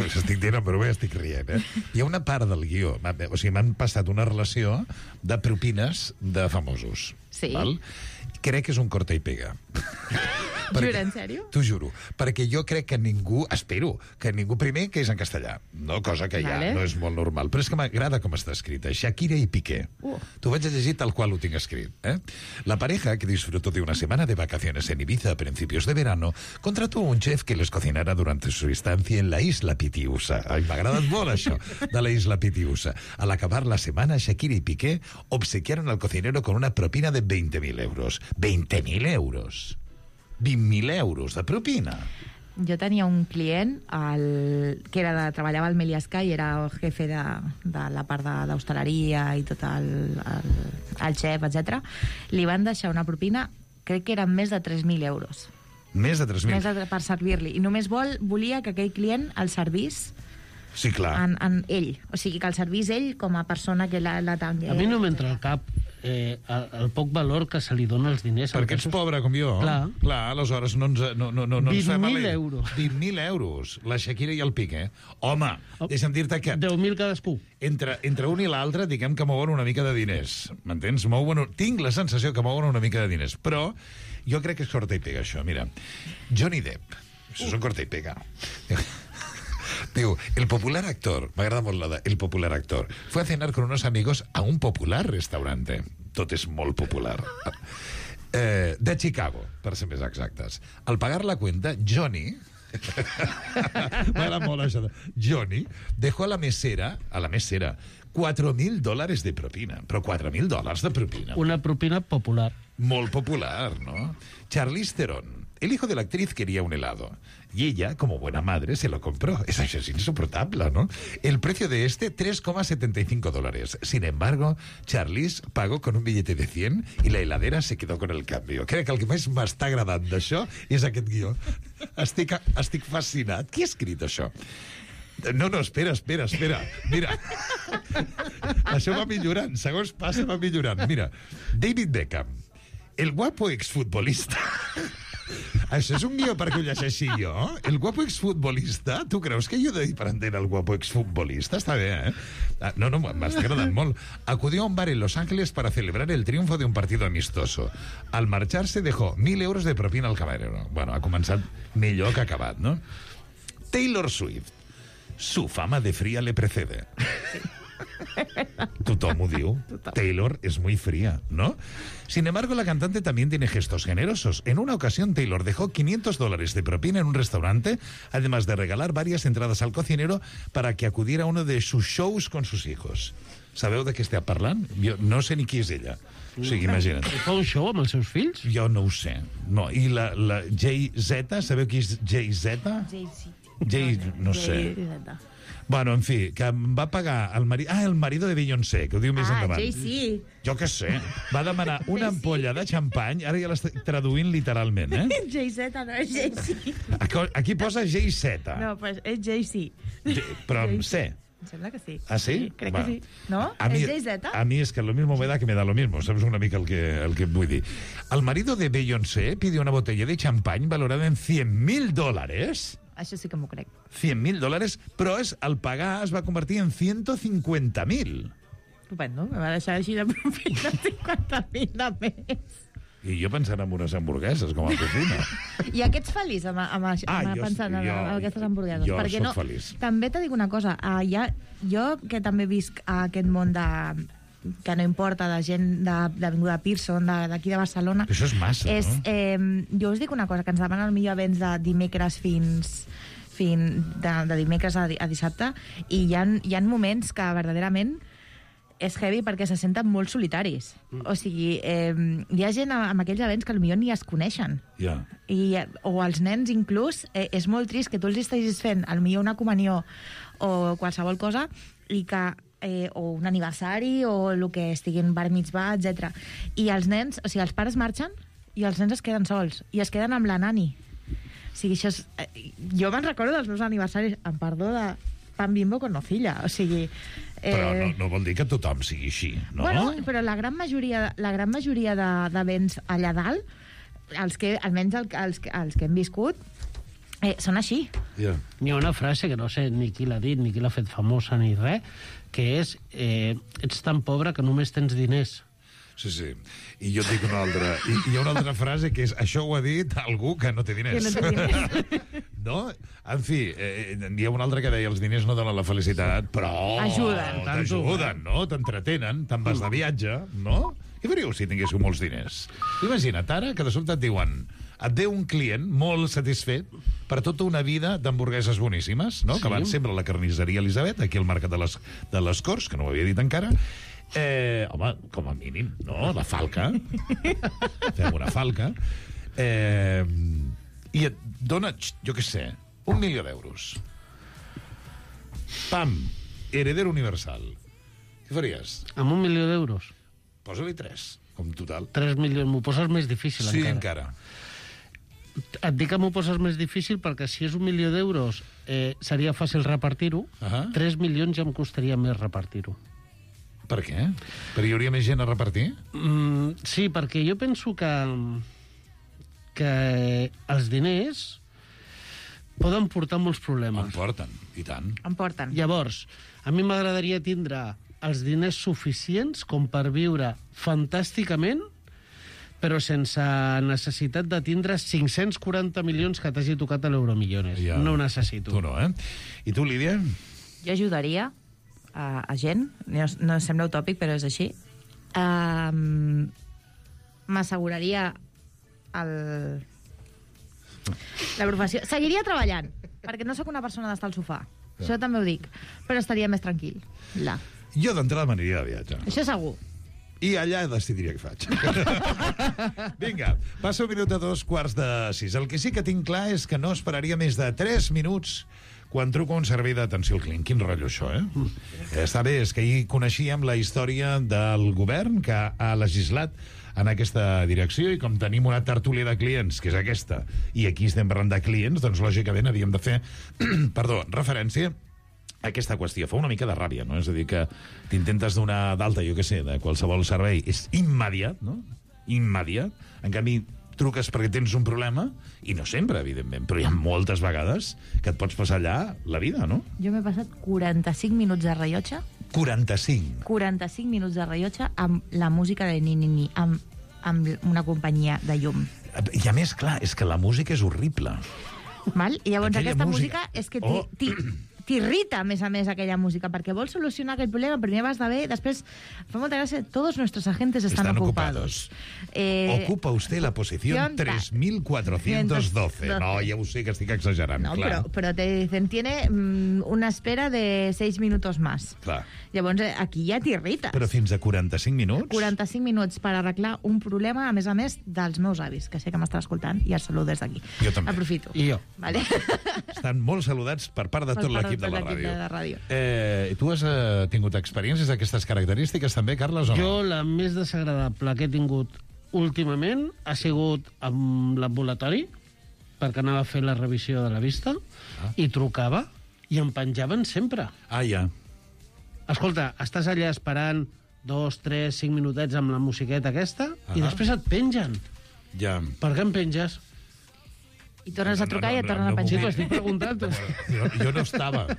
estic dient en broma i estic rient, hi ha una part del guió, o sigui, m'han passat una relació de propines de famosos. Sí. Val? Crec que és un corta i pega. Jura, en sèrio? T'ho juro. Perquè jo crec que ningú, espero, que ningú primer que és en castellà, no? Cosa que ja no és molt normal. Però és que m'agrada com està escrita. Shakira y Piqué. T'ho vaig a llegir tal qual ho tinc escrit. La pareja, que disfrutó de una semana de vacaciones en Ibiza a principios de verano, contrató un chef que les cocinara durante su estancia en la isla Pitiusa. Ai, m'ha agradat molt això, de la isla Pitiusa. Al acabar la semana, Shakira y Piqué obsequiaron al cocinero con una propina de 20.000 euros. 20.000 euros. 20.000 euros de propina. Jo tenia un client que treballava al Meliá Sky, era el jefe de la part d'hostaleria i tot el xef, etc. Li van deixar una propina, crec que eren més de 3.000 euros. Més de 3.000? Per servir-li. I només volia que aquell client el servís sí, clar. En ell. O sigui, que el servís ell com a persona que la tangui. A mi no m'entra al cap el poc valor que se li dona als diners. Perquè ets pobre com jo. Clar, aleshores no ens fem... 20.000 euros. 20.000 euros, la Shakira i el Piqué. Home, deixa'm dir-te que... 10.000 cadascú. Entre un i l'altre, diguem que mouen una mica de diners. M'entens? Tinc la sensació que mouen una mica de diners. Però jo crec que és corta i pega, això. Mira, Johnny Depp. Això és un corta i pega. Digo, el popular actor, m'agrada molt la de el popular actor, fue a cenar con unos amigos a un popular restaurante. Tot és molt popular. De Chicago, per ser més exactes. Al pagar la cuenta, Johnny... m'agrada molt això. Johnny dejó a la mesera $4.000 de propina. Però $4.000 de propina. Una propina popular. Molt popular, ¿no? Charlize Theron. El hijo de la actriz quería un helado y ella, como buena madre, se lo compró. Eso es insoportable, ¿no? El precio de $3,75. Sin embargo, Charlize pagó con un billete de 100 y la heladera se quedó con el cambio. Crec que el que més m'està agradant d'això és aquest guió. Estic fascinat. Qui ha escrit això? No, espera. Mira. Això va millorant. Segons passa, va millorant. Mira, David Beckham, el guapo exfutbolista... Això és un guió perquè ho llegeixi jo? El guapo exfutbolista? Tu creus que jo he de dir per entendre el guapo exfutbolista? Està bé, No, m'està agradant molt. Acudió a un bar en Los Ángeles para celebrar el triunfo de un partido amistoso. Al marcharse dejó 1.000 euros de propina al camarero. Bueno, ha començat millor que ha acabat, ¿no? Taylor Swift. Su fama de fría le precede. Tothom ho diu. Taylor es muy fría, ¿no? Sin embargo, la cantante también tiene gestos generosos. En una ocasión, Taylor dejó $500 de propina en un restaurante, además de regalar varias entradas al cocinero para que acudiera a uno de sus shows con sus hijos. Sabeu de què estem parlant? Jo no sé ni qui és ella. O sigui, imagina't. Fa un show amb els seus fills? Jo no ho sé. No. I la Jay-Z, sabeu qui és Jay-Z? No sé. Bueno, en fi, que em va pagar el marit... el marido de Beyoncé, que ho diu més endavant. Jay-Z. Jo què sé. Va demanar una ampolla de xampany, ara ja l'estic traduint literalment, Jay-Z, no és Jay-Z. Aquí posa Jay-Z. No, pues és Jay-Z. Però amb C. Em sembla que sí. ¿Ah, sí? Crec que sí. ¿No? ¿Es Jay-Z? A mí es que lo mismo me da que me da lo mismo. ¿Sabes una mica el que vull dir? El marido de Beyoncé pidió una botella de champany valorada en $100.000. Això sí que m'ho crec. $100.000, però al pagar es va convertir en 150.000. Estupendo, me va deixar així de propina 50.000 de més. I jo pensant en unes hamburgueses com a propina. I aquests feliç pensant en aquestes hamburgueses? Jo perquè soc feliç. També t'he dit una cosa, jo que també visc a aquest món que no importa, de gent d'Avinguda Pearson, d'aquí de Barcelona. Això és massa, no? Jo us dic una cosa, que ens demanen millor events de dimecres de dimecres a dissabte, i hi ha moments que verdaderament és heavy perquè se senten molt solitaris. O sigui, hi ha gent amb aquells events que potser ni es coneixen. O els nens inclús, és molt trist que tu els estiguis fent potser una comunió o qualsevol cosa i que o un aniversari o el que estiguin bar mitzvah, etc. I els nens, o sigui, els pares marxen i els nens es queden sols i es queden amb la nani. O sigui, això és... Jo me'n recordo dels meus aniversaris, amb perdó pan Bimbo con nocilla, o sigui... Però no vol dir que tothom sigui així, no? Bueno, però la gran majoria de béns allà dalt, almenys els que hem viscut, són així. Yeah. Hi ha una frase que no sé ni qui l'ha dit, ni qui l'ha fet famosa, ni res, que és ets tan pobre que només tens diners. Sí, sí. I jo et dic una altra. I hi ha una altra frase que és això ho ha dit algú que no té diners. Que no té diners. No? En fi, hi ha un altre que deia els diners no donen la felicitat, però... T'ajuden, no? T'entretenen, te'n vas de viatge, no? Què faríeu si tinguéssiu molts diners? Imagina't ara que de sobte et diuen et ve un client molt satisfet per tota una vida d'hamburgueses boníssimes, no? Sí. Que van sempre a la carnisseria Elisabet, aquí al Mercat de les Corts, que no ho havia dit encara. Home, com a mínim, no? La falca. Fem una falca. I et dona, jo què sé, 1 milió d'euros. Pam, heredero universal. Què faries? Amb 1 milió d'euros? Posa-li 3, com total. 3 milions, m'ho poses més difícil sí, encara. Et dic que m'ho poses més difícil perquè si és 1 milió d'euros seria fàcil repartir-ho. 3 milions ja em costaria més repartir-ho. Per què? Perquè hi hauria més gent a repartir? Sí, perquè jo penso que els diners poden portar molts problemes. En porten, i tant. En porten. Llavors, a mi m'agradaria tindre els diners suficients com per viure fantàsticament, però sense necessitat de tindre 540 milions que t'hagi tocat a l'Euromillones. Ja. No ho necessito. Tu no, I tu, Lídia? Jo ajudaria a gent, no sembla utòpic, però és així. M'asseguraria la professió. Seguiria treballant, perquè no sóc una persona d'estar al sofà. Això també ho dic. Però estaria més tranquil. Jo d'entrada m'aniria de viatge. Això segur. I allà decidiria què faig. Vinga, passa 1 minut a 2:15. El que sí que tinc clar és que no esperaria més de 3 minuts quan truco a un servei d'atenció al client. Quin rotllo, això, Està bé, és que ahir coneixíem la història del govern que ha legislat en aquesta direcció i com tenim una tertúlia de clients, que és aquesta, i aquí estem parlant de clients, doncs lògicament havíem de fer referència a aquesta qüestió. Fa una mica de ràbia, no? És a dir, que t'intentes donar d'alta, jo què sé, de qualsevol servei. És immediat, no? Immediat. En canvi, truques perquè tens un problema, i no sempre, evidentment, però hi ha moltes vegades que et pots passar allà la vida, no? Jo m'he passat 45 minuts de rellotge. 45? 45 minuts de rellotge amb la música de Ni, amb una companyia de llum. I a més, clar, és que la música és horrible. Val? I llavors aquesta música és que t'irrita, a més, aquella música, perquè vols solucionar aquell problema, primer vas de bé, després fa molta gràcia, todos nuestros agentes están ocupados. Ocupa usted la posición 3412. No, ja ho sé que estic exagerant, no, clar. Però te dicen, tiene una espera de 6 minutos más. Clar. Llavors, aquí ja t'irrites. Però fins a 45 minuts? 45 minuts per arreglar un problema, a més, dels meus avis, que sé que m'estan escoltant, i els saludo des d'aquí. Jo també. Aprofito. I jo. Vale? Estan molt saludats per part de tot l'equip de la ràdio. Tu has tingut experiències d'aquestes característiques també, Carles, o no? Jo la més desagradable que he tingut últimament ha sigut amb l'ambulatori, perquè anava a fer la revisió de la vista, i trucava, i em penjaven sempre. Ja. Escolta, estàs allà esperant 2, 3, 5 minutets amb la musiqueta aquesta, i després et pengen. Ja. Per què em penges? I tornes a trucar i et tornen a penjar. Sí, t'ho estic preguntant. Jo no estava.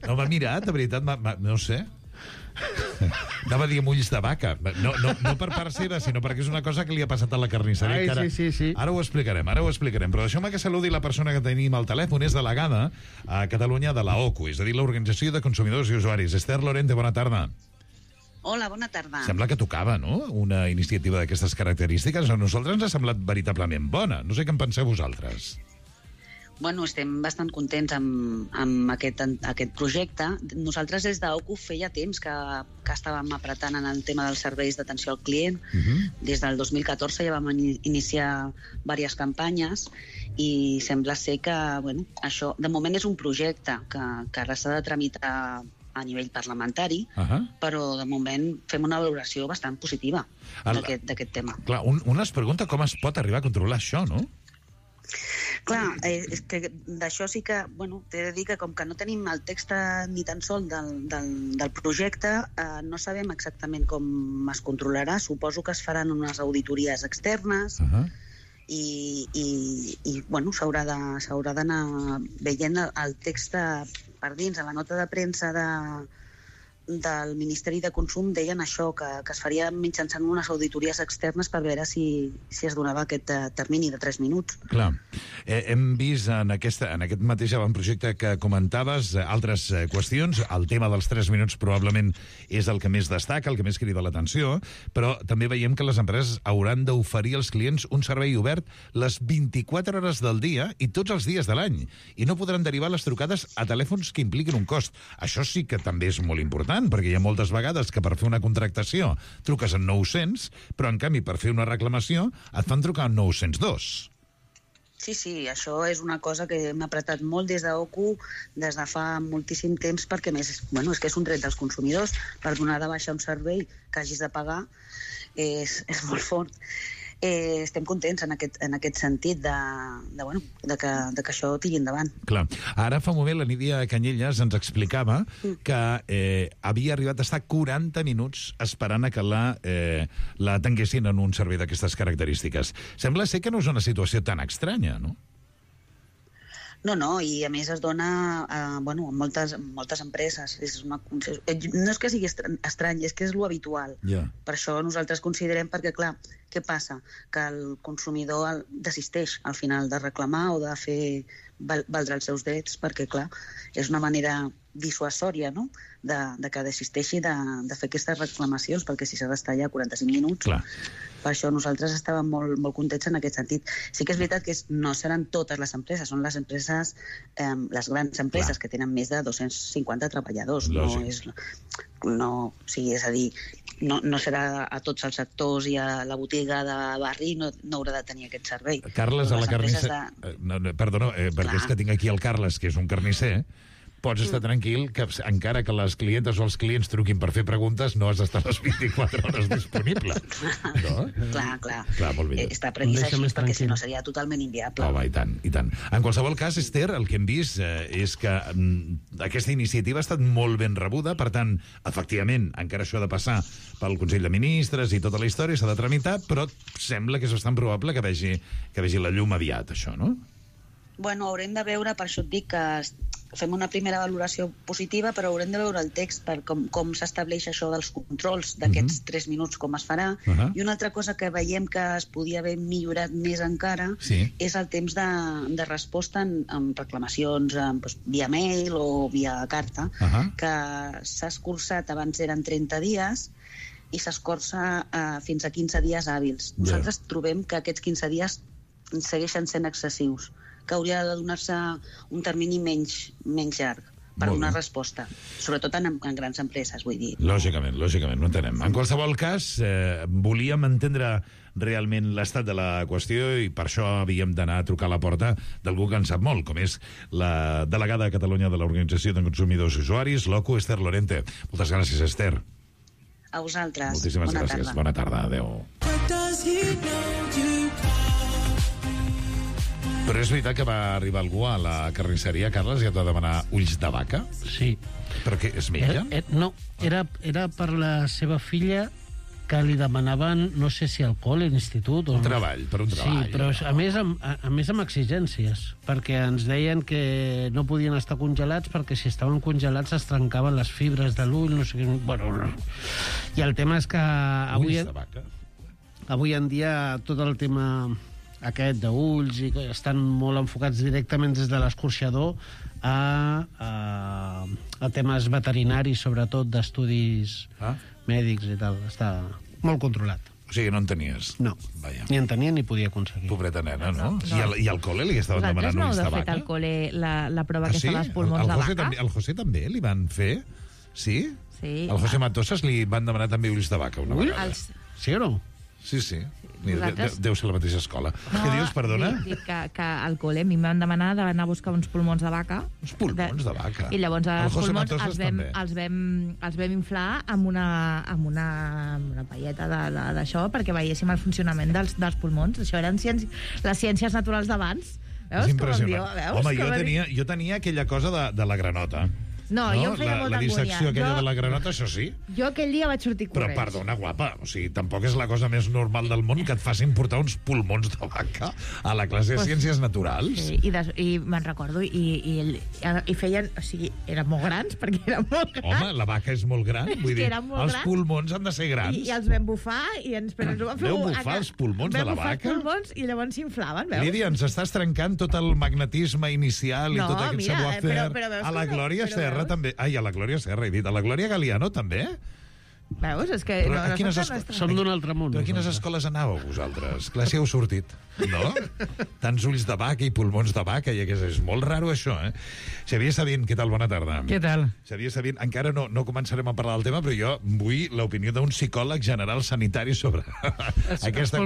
No m'ha mirat, de veritat, no sé. Anava a dir amb ulls de vaca. No per part seva, sinó perquè és una cosa que li ha passat a la carnisseria. Sí. Ara ho explicarem. Però deixeu-me que saludi la persona que tenim al telèfon. És delegada a Catalunya de la OCU, és a dir, l'Organització de Consumidors i Usuaris. Esther Lorente, bona tarda. Hola, bona tarda. Sembla que tocava, no?, una iniciativa d'aquestes característiques. A nosaltres ens ha semblat veritablement bona. No sé què en penseu vosaltres. Bueno, estem bastant contents amb aquest projecte. Nosaltres des d'OCU feia temps que estàvem apretant en el tema dels serveis d'atenció al client. Des del 2014 ja vam iniciar diverses campanyes i sembla ser que, bueno, això de moment és un projecte que ara s'ha de tramitar a nivell parlamentari, però de moment fem una valoració bastant positiva d'aquest tema. Clar, un es pregunta com es pot arribar a controlar això, no? Clar, és que d'això sí que, bueno, t'he de dir que com que no tenim el text ni tan sol del projecte, no sabem exactament com es controlarà. Suposo que es faran unes auditories externes i bueno, s'haurà d'anar veient el text per dins. A la nota de premsa del Ministeri de Consum deien això, que es faria mitjançant unes auditories externes per veure si es donava aquest termini de 3 minuts. Clar. Hem vist en aquest mateix avantprojecte que comentaves altres qüestions. El tema dels 3 minuts probablement és el que més destaca, el que més crida l'atenció, però també veiem que les empreses hauran d'oferir als clients un servei obert les 24 hores del dia i tots els dies de l'any, i no podran derivar les trucades a telèfons que impliquin un cost. Això sí que també és molt important, perquè hi ha moltes vegades que per fer una contractació truques en 900, però en canvi per fer una reclamació et fan trucar en 902. Sí, això és una cosa que hem apretat molt des d'OCU des de fa moltíssim temps, perquè més, bueno, és que és un dret dels consumidors. Per donar de baixa un servei que hagis de pagar és molt fort. Estem contents en aquest sentit de que això tiri endavant. Clar. Ara fa un moment la Nídia Canyelles ens explicava que havia arribat a estar 40 minuts esperant a que la atenguessin en un servei d'aquestes característiques. Sembla ser que no és una situació tan estranya, no? No, i a més es dona a moltes empreses. No és que sigui estrany, és que és lo habitual. Per això nosaltres considerem, perquè clar, què passa? Que el consumidor desisteix al final de reclamar o de fer valdre els seus drets, perquè clar, és una manera dissuasòria, no?, de que desisteixi de fer aquestes reclamacions, perquè si s'ha d'estar allà 45 minuts... Clar. Per això nosaltres estàvem molt contents en aquest sentit. Sí que és veritat que no seran totes les empreses, són les empreses, les grans empreses que tenen més de 250 treballadors. És a dir, no serà a tots els sectors i a la botiga de barri no haurà de tenir aquest servei. Carles, a la carnisser... Perdona, perquè és que tinc aquí el Carles, que és un carnisser. Pots estar tranquil que encara que les clientes o els clients truquin per fer preguntes, no has d'estar les 24 hores disponible. No? Clar, molt bé. Està previst així, perquè si no seria totalment inviable. Home, i tant. En qualsevol cas, Esther, el que hem vist és que aquesta iniciativa ha estat molt ben rebuda, per tant, efectivament, encara això ha de passar pel Consell de Ministres i tota la història, s'ha de tramitar, però sembla que és bastant probable que vegi la llum aviat, això, no? Bueno, haurem de veure, per això et dic que fem una primera valoració positiva, però haurem de veure el text per com s'estableix això dels controls d'aquests 3 minuts, com es farà. I una altra cosa que veiem que es podia haver millorat més encara és el temps de resposta en reclamacions via mail o via carta, que s'ha escurçat, abans eren 30 dies, i s'escorça fins a 15 dies hàbils. Nosaltres trobem que aquests 15 dies segueixen sent excessius, que hauria de donar-se un termini menys llarg per donar resposta, sobretot en grans empreses, vull dir. Lògicament, no entenem. En qualsevol cas, volíem entendre realment l'estat de la qüestió i per això havíem d'anar a trucar a la porta d'algú que en sap molt, com és la delegada de Catalunya de l'Organització de Consumidors i Usuaris, l'OCU, Esther Lorente. Moltes gràcies, Esther. A vosaltres. Moltíssimes gràcies. Bona tarda. Adéu. Però és veritat que va arribar algú a la carnisseria, Carles, i et va demanar ulls de vaca? Sí. Però què, és metge? No, era per la seva filla, que li demanaven, no sé si alcohol a l'institut... Un treball. Sí, però a més amb exigències, perquè ens deien que no podien estar congelats perquè si estaven congelats es trencaven les fibres de l'ull, no sé què... Bueno, i el tema és que avui en dia tot el tema aquest d'ulls i estan molt enfocats directament des de l'escorxador a temes veterinaris, sobretot d'estudis mèdics i tal. Està molt controlat. O sigui, no en tenies? No. Vaja. Ni en tenia ni podia aconseguir. Pobreta nena, no? I al col·le li estaven demanant ulls de vaca? Vosaltres no heu fet al col·le la prova aquesta dels pulmons de vaca? Al José també li van fer? Sí? Al José Matosas li van demanar també ulls de vaca una vegada. Sí o no? Sí. Deu ser la mateixa escola. Què dius, perdona? Dic que al col·le a mi em van demanar d'anar a buscar uns pulmons de vaca. Uns pulmons de vaca? I llavors els pulmons els vam inflar amb una palleta d'això perquè veiéssim el funcionament dels pulmons. Això eren les ciències naturals d'abans. És impressionant. Veus? Home, jo tenia aquella cosa de la granota. No, jo em feia molta la dissecció angúnia. aquella de la granota, això sí. Jo aquell dia vaig sortir Però, corrents. perdona, guapa, o sigui, tampoc és la cosa més normal del món que et facin portar uns pulmons de vaca a la classe de Ciències Naturals. Sí, i me'n recordo, i feien... O sigui, eren molt grans, perquè eren molt grans. Home, la vaca és molt gran, vull dir, els pulmons han de ser grans. I els vam bufar, però ens ho van fer... Veu bufar els pulmons de la vaca? Vam bufar els pulmons i llavors s'inflaven, veus? Lídia, ens estàs trencant tot el magnetisme inicial i tot aquest savoir-faire. Però a la Glòria Serra també. Ai, a la Glòria Serra, he dit. A la Glòria Galiano també? Veus? És que som d'un altre món. Però a quines escoles anàveu, vosaltres? Clar, si heu sortit, no? Tants ulls de vaca i pulmons de vaca, i és molt raro, això, eh? Xavier Sabin, què tal? Bona tarda. Què tal? Xavier Sabin, encara no començarem a parlar del tema, però jo vull l'opinió d'un psicòleg general sanitari sobre aquesta qüestió.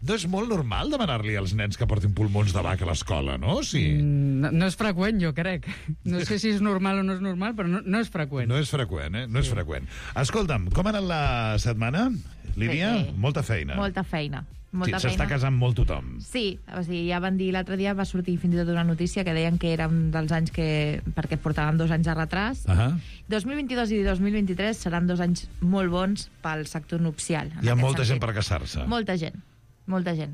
No és molt normal demanar-li als nens que portin pulmons de vaca a l'escola, no? Sí. No és freqüent, jo crec. No sé si és normal o no és normal, però no és freqüent. No és freqüent, eh? No és freqüent. Escolta'm, com ha anat la setmana, Lídia? Molta feina. Molta feina. S'està casant molt tothom. Sí, o sigui, ja van dir l'altre dia, va sortir fins i tot una notícia que deien que era un dels anys perquè portàvem 2 anys de retras. 2022 i 2023 seran 2 anys molt bons pel sector nupcial. Hi ha molta gent per casar-se. Molta gent.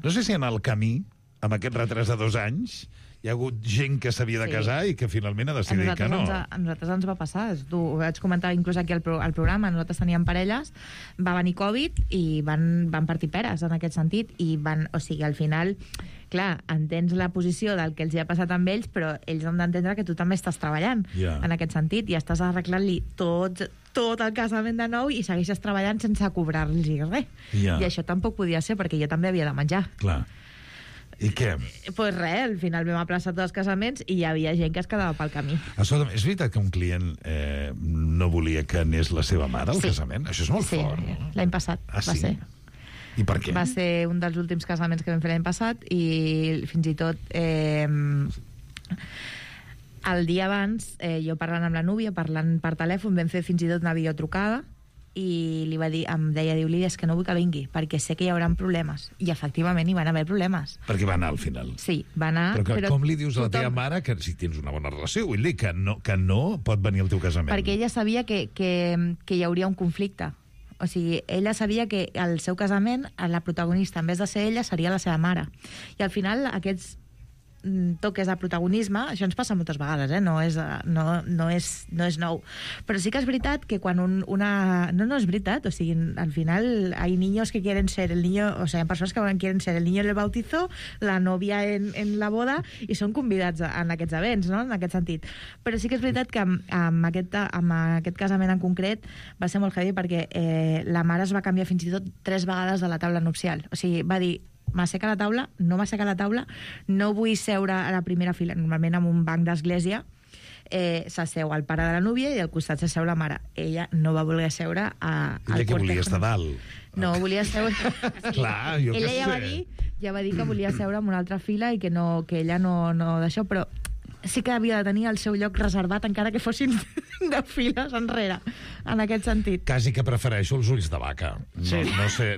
No sé si en el camí, amb aquest retras de 2 anys, hi ha hagut gent que s'havia de casar i que finalment ha decidit que no. A nosaltres ens va passar. Ho vaig comentar inclús aquí al programa. Nosaltres teníem parelles, va venir Covid i van partir peres en aquest sentit. O sigui, al final, clar, entens la posició del que els hi ha passat amb ells, però ells han d'entendre que tu també estàs treballant en aquest sentit i estàs arreglant-li tot el casament de nou i segueixes treballant sense cobrar-los res. I això tampoc podia ser, perquè jo també havia de menjar. Clar. I què? Pues res, al final vam aplaçar tots els casaments i hi havia gent que es quedava pel camí. Escolta'm, és veritat que un client no volia que anés la seva mare al casament? Això és molt fort. Sí, l'any passat va ser. I per què? Va ser un dels últims casaments que vam fer l'any passat i fins i tot el dia abans, jo parlant amb la núvia, parlant per telèfon, vam fer fins i tot una videotrucada i li va dir, em deia, Lídia, és que no vull que vingui, perquè sé que hi haurà problemes. I efectivament hi van haver problemes. Perquè va anar al final. Sí, va anar... Però com li dius a la teva mare que si tens una bona relació? Vull dir que no pot venir al teu casament. Perquè ella sabia que hi hauria un conflicte. O sigui, ella sabia que al seu casament la protagonista, en vez de ser ella, seria la seva mare. I al final aquests toques de protagonisme, això ens passa moltes vegades, no és nou. Però sí que és veritat que quan no és veritat, o sigui, al final hay niños que quieren ser el niño, o sea, hay persones que quieren ser el niño en el bautizo, la novia en la boda, i són convidats en aquests events, no?, en aquest sentit. Però sí que és veritat que amb aquest casament en concret va ser molt heavy perquè la mare es va canviar fins i tot 3 vegades de la taula nupcial. O sigui, va dir, m'asseca la taula, no m'asseca la taula, no vull seure a la primera fila, normalment en un banc d'església, s'asseu el pare de la núvia i al costat s'asseu la mare. Ella no va voler seure al cortejo. Ella que volia estar dalt. No, volia seure... Clar, jo què sé. Ella va dir que volia seure en una altra fila i que ella no d'això, però sí que havia de tenir el seu lloc reservat encara que fossin de files enrere, en aquest sentit. Quasi que prefereixo els ulls de vaca. Sí.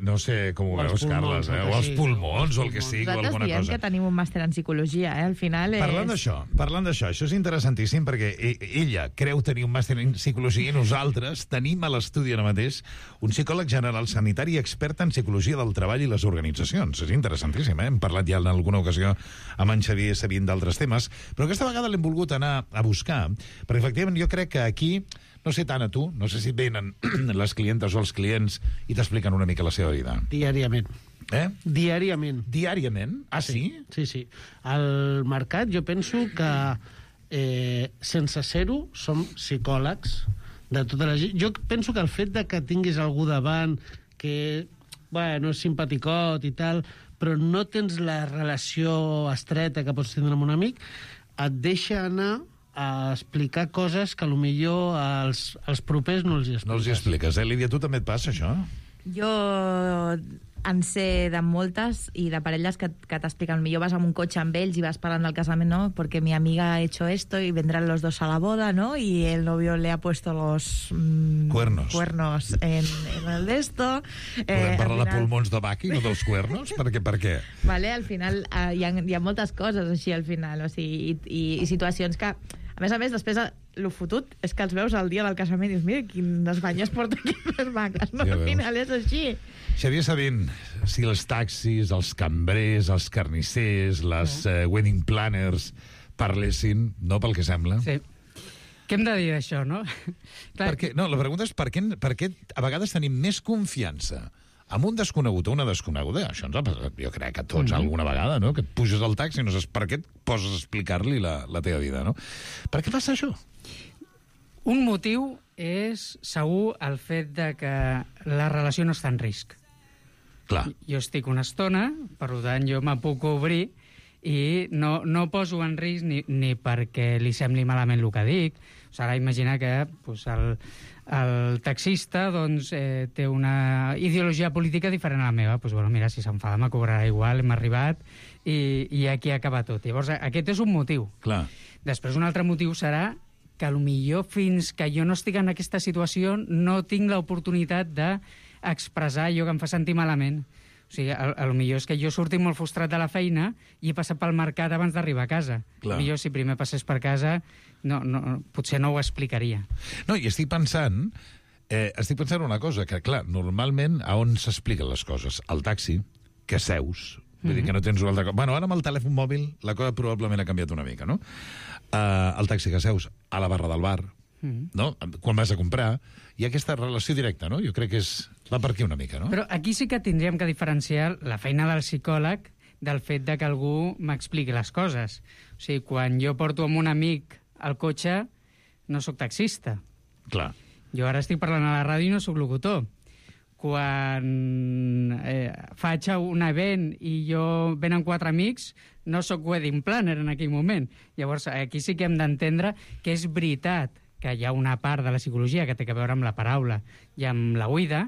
No sé com ho veus, Carles, o els pulmons, o el que sigui, o alguna cosa. Nosaltres diem que tenim un màster en psicologia, al final és... Parlant d'això, això és interessantíssim perquè ella creu tenir un màster en psicologia i nosaltres tenim a l'estudi ara mateix un psicòleg general sanitari expert en psicologia del treball i les organitzacions. És interessantíssim, Hem parlat ja en alguna ocasió amb en Xavier Sabin d'altres temes, però aquesta vegada l'hem volgut anar a buscar, perquè efectivament jo crec que aquí, no sé tant a tu, no sé si venen les clientes o els clients i t'expliquen una mica la seva vida. Diàriament. Diàriament. Diàriament? Ah, sí? Sí. Al mercat jo penso que sense ser-ho som psicòlegs de tota la gent. Jo penso que el fet de que tinguis algú davant que, bueno, és simpaticot i tal, però no tens la relació estreta que pots tindre amb un amic, et deixa anar a explicar coses que potser als propers no els hi expliques. No els hi expliques, Lídia? Tu també et passa, això? Jo en sé de moltes i de parelles que t'expliquen, millor vas amb un cotxe amb ells i vas parlant del casament, ¿no? Porque mi amiga ha hecho esto y vendrán los dos a la boda, ¿no? Y el novio le ha puesto los cuernos en el de esto. Podem parlar de pulmons de vaca i no dels cuernos? Per què? Vale, al final hi ha moltes coses així al final, o sigui, i situacions que, a més, després el fotut és que els veus el dia del casament i dius, mira, quines banyes porta aquí les vaques, no? Al final és així. Xavier Sabin, si els taxis, els cambrers, els carnissers, les wedding planners parlessin, no pel que sembla? Sí. Què hem de dir d'això, no? La pregunta és per què a vegades tenim més confiança amb un desconegut o una desconeguda? Això ens ha passat, jo crec, a tots alguna vegada, no? Que et puges al taxi i no saps per què et poses a explicar-li la teva vida, no? Per què passa això? Un motiu és segur el fet de que la relació no està en risc. Clar. Jo estic una estona, per tant jo me puc obrir i no poso en risc ni perquè li sembli malament el que dic. O sigui, ara imagina que el taxista doncs, té una ideologia política diferent a la meva. Doncs, bueno, mira, si s'enfada me cobrarà igual, hem arribat i aquí acaba tot. Llavors, aquest és un motiu. Clar. Després, un altre motiu serà que potser fins que jo no estic en aquesta situació no tinc l'oportunitat d'expressar allò que em fa sentir malament. O sigui, potser és que jo surti molt frustrat de la feina i he passat pel mercat abans d'arribar a casa. Potser si primer passés per casa potser no ho explicaria. No, i estic pensant una cosa, que clar, normalment a on s'expliquen les coses? Al taxi, que seus, vull dir que no tens una altra cosa. Bueno, ara amb el telèfon mòbil la cosa probablement ha canviat una mica, no? Al taxi que seus, a la barra del bar, no? Quan vas a comprar, hi ha aquesta relació directa, no? Jo crec que va per aquí una mica, no? Però aquí sí que tindríem que diferenciar la feina del psicòleg del fet de que algú m'expliqui les coses. O sigui, quan jo porto amb un amic al cotxe, no sóc taxista. Clar. Jo ara estic parlant a la ràdio i no sóc locutor. Quan faig un event i venen 4 amics, no sóc wedding planner en aquell moment. Llavors, aquí sí que hem d'entendre que és veritat que hi ha una part de la psicologia que té a veure amb la paraula i amb la oïda,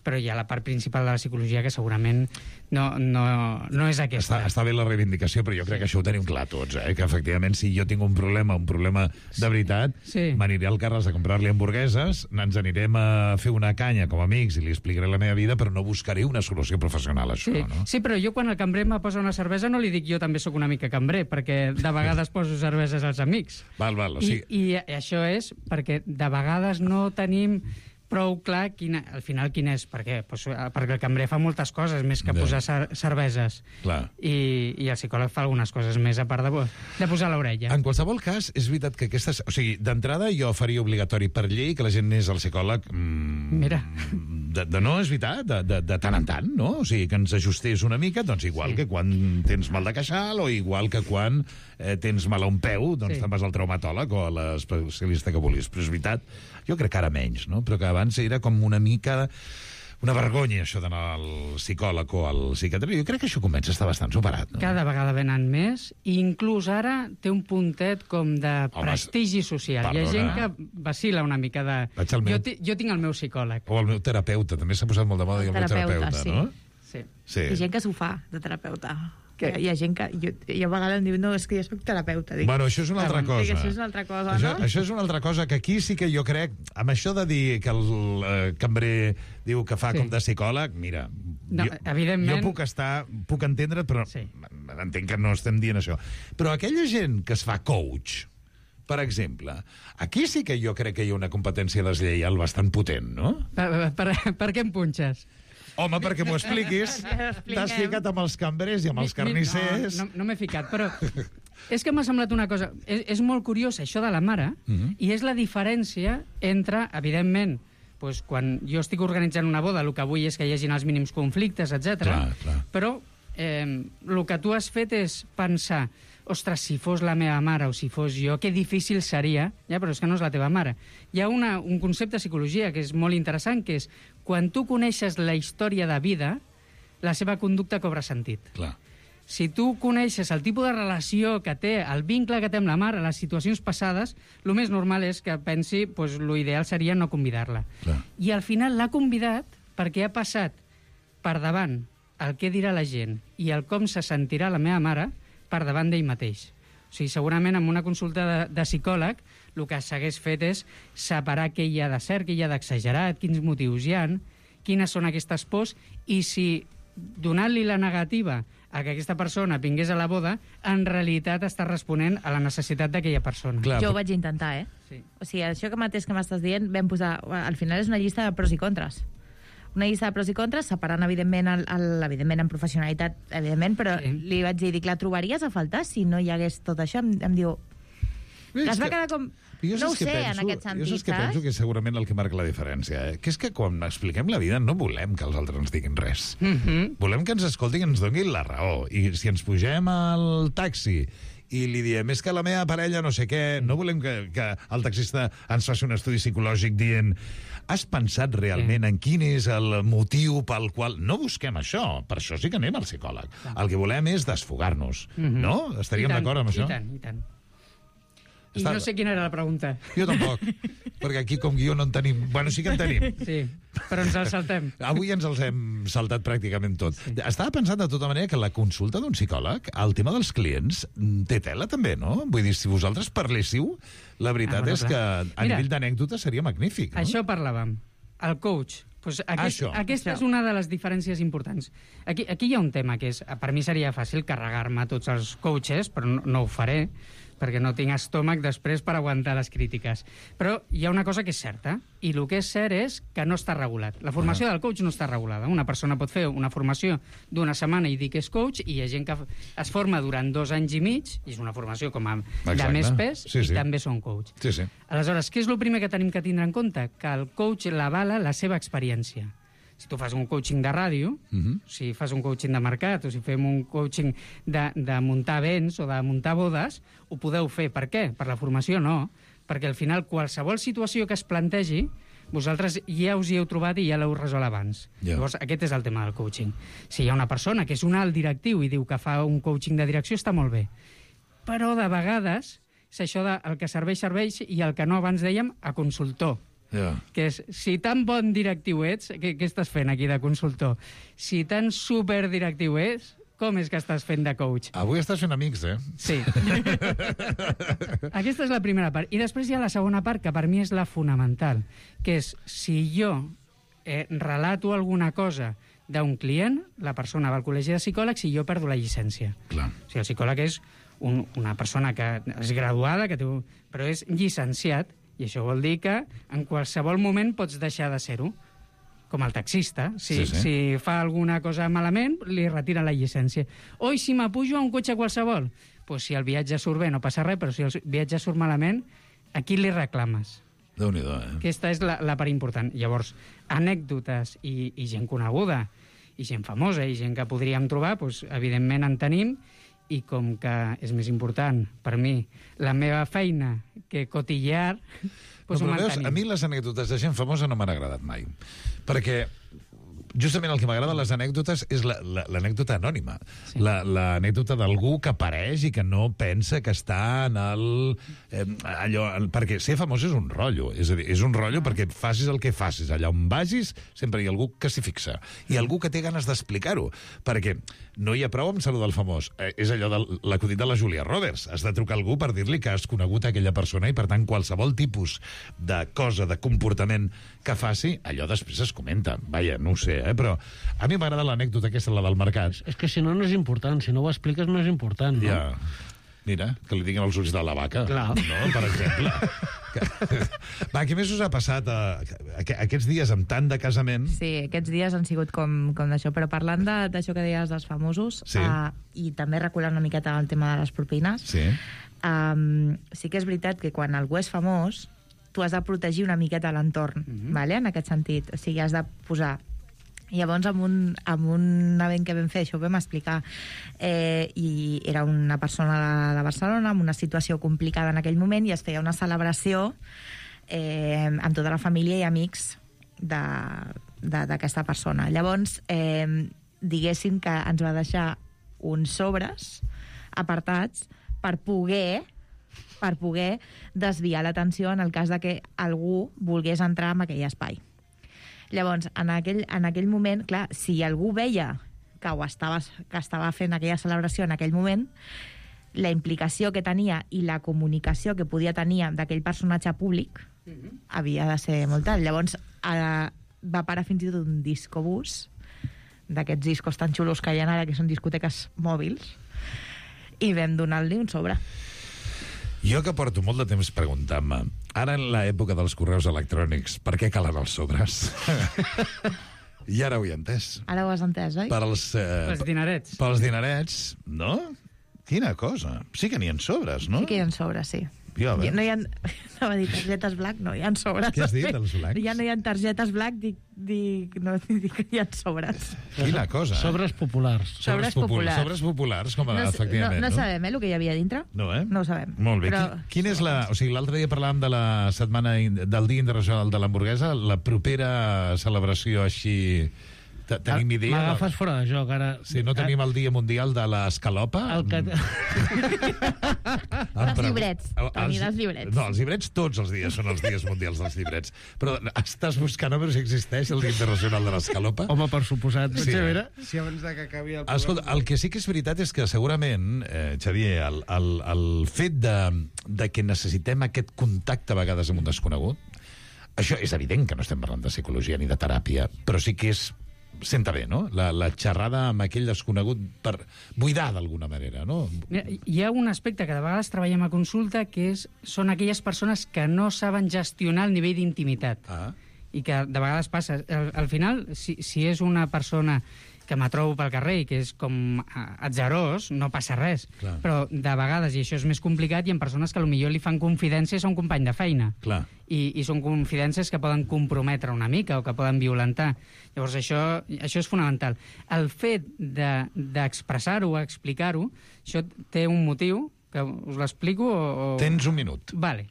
però hi ha la part principal de la psicologia que segurament no és aquesta. Està bé la reivindicació, però jo crec que això ho tenim clar tots, que efectivament si jo tinc un problema de veritat, m'aniré al Carles a comprar-li hamburgueses, ens anirem a fer una canya com a amics i li explicaré la meva vida, però no buscaré una solució professional a això, no? Sí, però jo quan el cambrer me posa una cervesa no li dic jo també sóc una mica cambrer, perquè de vegades poso cerveses als amics. Val, o sigui... I això és perquè de vegades no tenim prou clar al final quin és. Per què? Pues, perquè el cambrer fa moltes coses més que posar cerveses. Clar. I el psicòleg fa algunes coses més a part de posar l'orella. En qualsevol cas, és veritat que aquestes... O sigui, d'entrada jo faria obligatori per llei que la gent anés al psicòleg... Mira. No, és veritat, de tant en tant, no? O sigui, que ens ajustés una mica, doncs igual que quan tens mal de queixal o igual que quan tens mal a un peu, doncs te'n vas al traumatòleg o a l'especialista que vulguis. Però és veritat, jo crec que ara menys, no? Però que abans era com una mica... una vergonya, això d'anar al psicòleg o al psiquiatre. Jo crec que això comença a estar bastant superat, no? Cada vegada venen més, i inclús ara té un puntet com de prestigi social. Hi ha gent que vacila una mica de... Jo tinc el meu psicòleg. O el meu terapeuta, també s'ha posat molt de moda dir el meu terapeuta, no? Sí. Hi ha gent que s'ho fa, de terapeuta. Hi ha gent que... Jo a vegades em diu, no, és que jo soc terapeuta. Dic, bueno, això és una altra cosa. Això és una altra cosa, no? Això és una altra cosa, que aquí sí que jo crec... Amb això de dir que el cambrer diu que fa com de psicòleg, mira, evidentment... jo puc entendre, però entenc que no estem dient això. Però aquella gent que es fa coach, per exemple, aquí sí que jo crec que hi ha una competència deslleial bastant potent, no? Per què em punxes? Home, perquè m'ho expliquis. T'has ficat amb els cambrers i amb els carnissers. No m'he ficat, però és que m'ha semblat una cosa... És molt curiós això de la mare, i és la diferència entre, evidentment, quan jo estic organitzant una boda, el que vull és que hi hagin els mínims conflictes, etc. Però el que tu has fet és pensar, ostres, si fos la meva mare o si fos jo, que difícil seria, però és que no és la teva mare. Hi ha un concepte de psicologia que és molt interessant, que és quan tu coneixes la història de vida, la seva conducta cobra sentit. Clar. Si tu coneixes el tipus de relació que té, el vincle que té amb la mare, les situacions passades, el més normal és que pensi, l'ideal seria no convidar-la. I al final l'ha convidat perquè ha passat per davant el què dirà la gent i el com se sentirà la meva mare per davant d'ell mateix. O sigui, segurament en una consulta de psicòleg el que s'hagués fet és separar què hi ha de cert, què hi ha d'exagerat, quins motius hi ha, quines són aquestes pors, i si donant-li la negativa a que aquesta persona vingués a la boda, en realitat està responent a la necessitat d'aquella persona. Clar, jo ho vaig intentar, Sí. O sigui, això que mateix que m'estàs dient, vam posar... Al final és una llista de pros i contres. Una llista de pros i contres, separant, evidentment, evidentment en professionalitat, evidentment, però li vaig dir, la trobaries a faltar si no hi hagués tot això? Em diu... Es va quedar com... No ho sé, en aquest sentit, jo saps que penso que és segurament el que marca la diferència, que és que quan expliquem la vida no volem que els altres ens diguin res. Volem que ens escoltin i ens donin la raó. I si ens pugem al taxi i li diem, és que la meva parella no sé què, no volem que el taxista ens faci un estudi psicològic dient has pensat realment en quin és el motiu pel qual... No busquem això, per això sí que anem al psicòleg. El que volem és desfogar-nos, no? Estaríem d'acord amb això? I tant. I no sé quina era la pregunta. Jo tampoc, perquè aquí com guió no en tenim... Bueno, sí que en tenim. Sí, però ens el saltem. Avui ens els hem saltat pràcticament tot. Sí. Estava pensant de tota manera que la consulta d'un psicòleg, el tema dels clients, té tela també, no? Vull dir, si vosaltres parléssiu, la veritat és que a nivell d'anècdota seria magnífic, no? Això parlàvem. El coach. Pues aquesta és una de les diferències importants. Aquí hi ha un tema que és... Per mi seria fàcil carregar-me tots els coaches, però no ho faré, perquè no tinc estómac després per aguantar les crítiques. Però hi ha una cosa que és certa, i el que és cert és que no està regulat. La formació del coach no està regulada. Una persona pot fer una formació d'una setmana i dir que és coach, i hi ha gent que es forma durant 2 anys i mig, i és una formació com a de més pes, i també són coach. Sí. Aleshores, què és el primer que tenim que tindre en compte? Que el coach l'avala la seva experiència. Si tu fas un coaching de ràdio, si fas un coaching de mercat, o si fem un coaching de muntar events o de muntar bodes, ho podeu fer. Per què? Per la formació no. Perquè al final qualsevol situació que es plantegi, vosaltres ja us hi heu trobat i ja l'heu resolt abans. Llavors, aquest és el tema del coaching. Si hi ha una persona que és un alt directiu i diu que fa un coaching de direcció, està molt bé. Però de vegades és això el que serveix i el que no abans dèiem a consultor. Que és, si tan bon directiu ets, què estàs fent aquí de consultor? Si tan superdirectiu ets, com és que estàs fent de coach? Avui estàs fent amics, Sí. Aquesta és la primera part. I després hi ha la segona part, que per mi és la fonamental, que és, si jo relato alguna cosa d'un client, la persona va al col·legi de psicòlegs i jo perdo la llicència. Clar. O sigui, el psicòleg és una persona que és graduada, però és llicenciat, i això vol dir que en qualsevol moment pots deixar de ser-ho. Com el taxista. Si fa alguna cosa malament, li retira la llicència. O si m'apujo a un cotxe qualsevol, doncs si el viatge surt bé no passa res, però si el viatge surt malament, a qui li reclames? Déu-n'hi-do, Aquesta és la part important. Llavors, anècdotes i gent coneguda, i gent famosa, i gent que podríem trobar, doncs, evidentment en tenim, i com que és més important per mi la meva feina que cotillear, doncs ho mantenim. A mi les anècdotes de gent famosa no m'han agradat mai, perquè justament el que m'agrada les anècdotes és l'anècdota anònima, l'anècdota d'algú que apareix i que no pensa que està en perquè ser famós és un rotllo, és a dir, és un rotllo perquè facis el que facis, allà on vagis sempre hi ha algú que s'hi fixa, i algú que té ganes d'explicar-ho, perquè no hi ha prou amb saludar el famós, és allò de l'acudit de la Julia Roberts, has de trucar a algú per dir-li que has conegut aquella persona i per tant qualsevol tipus de cosa, de comportament que faci, allò després es comenta, vaja, no ho sé, però a mi m'agrada l'anècdota aquesta, la del mercat. És que si no és important, si no ho expliques no és important, no? Ja. Mira, que li diguin els ulls de la vaca. Clar. No, per exemple. Va, què més us ha passat aquests dies amb tant de casament? Sí, aquests dies han sigut com d'això, però parlant d'això que deies dels famosos, i també reculant una miqueta el tema de les propines, sí que és veritat que quan algú és famós, tu has de protegir una miqueta l'entorn, en aquest sentit. O sigui, has de posar... Llavors, amb un event que vam fer, això ho vam explicar, i era una persona de Barcelona amb una situació complicada en aquell moment, i es feia una celebració amb tota la família i amics d'aquesta persona. Llavors, diguéssim que ens va deixar uns sobres apartats per poder desviar l'atenció en el cas de que algú volgués entrar en aquell espai. Llavors, en aquell moment, clar, si algú veia que estava fent aquella celebració en aquell moment, la implicació que tenia i la comunicació que podia tenir d'aquell personatge públic havia de ser molt alt. Llavors, va parar fins i tot un discobús d'aquests discos tan xulos que hi ha ara, que són discoteques mòbils, i vam donar-li un sobre. Jo que porto molt de temps preguntant-me, ara en l'època dels correus electrònics, per què calen els sobres? I ara ho he entès. Ara ho has entès, oi? Els dinerets. Pels dinerets, no? Quina cosa. Sí que n'hi ha sobres, no? Sí que hi ha sobres, sí. Ja, no hi ha... Anava a dir targetes black, no, hi ha sobres. Què has dit, els blacks? Ja no hi ha targetes black, dic que hi ha sobres. Quina cosa, eh? Sobres populars. Sobres populars. Sobres populars, com efectivament. No sabem, el que hi havia dintre. No, eh? No ho sabem. Molt bé. Però... Quin és o sigui, l'altre dia parlàvem de la setmana del Dia Internacional de l'Hamburguesa, la propera celebració així... Tenim idea... M'agafes fora de joc, ara... Si no tenim el Dia Mundial de l'Escalopa... Els llibrets. Els llibrets. No, els llibrets tots els dies són els dies mundials dels llibrets. Però estàs buscant a veure si existeix el Dia Internacional de l'Escalopa? Home, per suposat. Sí, si abans que acabi el programa... Escolta, el que sí que és veritat és que segurament, Xavier, el fet de que necessitem aquest contacte a vegades amb un desconegut, això és evident que no estem parlant de psicologia ni de teràpia, però sí que és senta bé, no? La xerrada amb aquell desconegut per buidar d'alguna manera, no? Mira, hi ha un aspecte que de vegades treballem a consulta, que són aquelles persones que no saben gestionar el nivell d'intimitat. I que de vegades passa. Al final, si és una persona que me trobo pel carrer i que és com atzerós, no passa res. Clar. Però de vegades, i això és més complicat, hi ha persones que potser li fan confidències a un company de feina. Clar. I són confidències que poden comprometre una mica o que poden violentar. Llavors, això és fonamental. El fet d'expressar-ho, explicar-ho, això té un motiu, que us l'explico o... Tens un minut. Vale.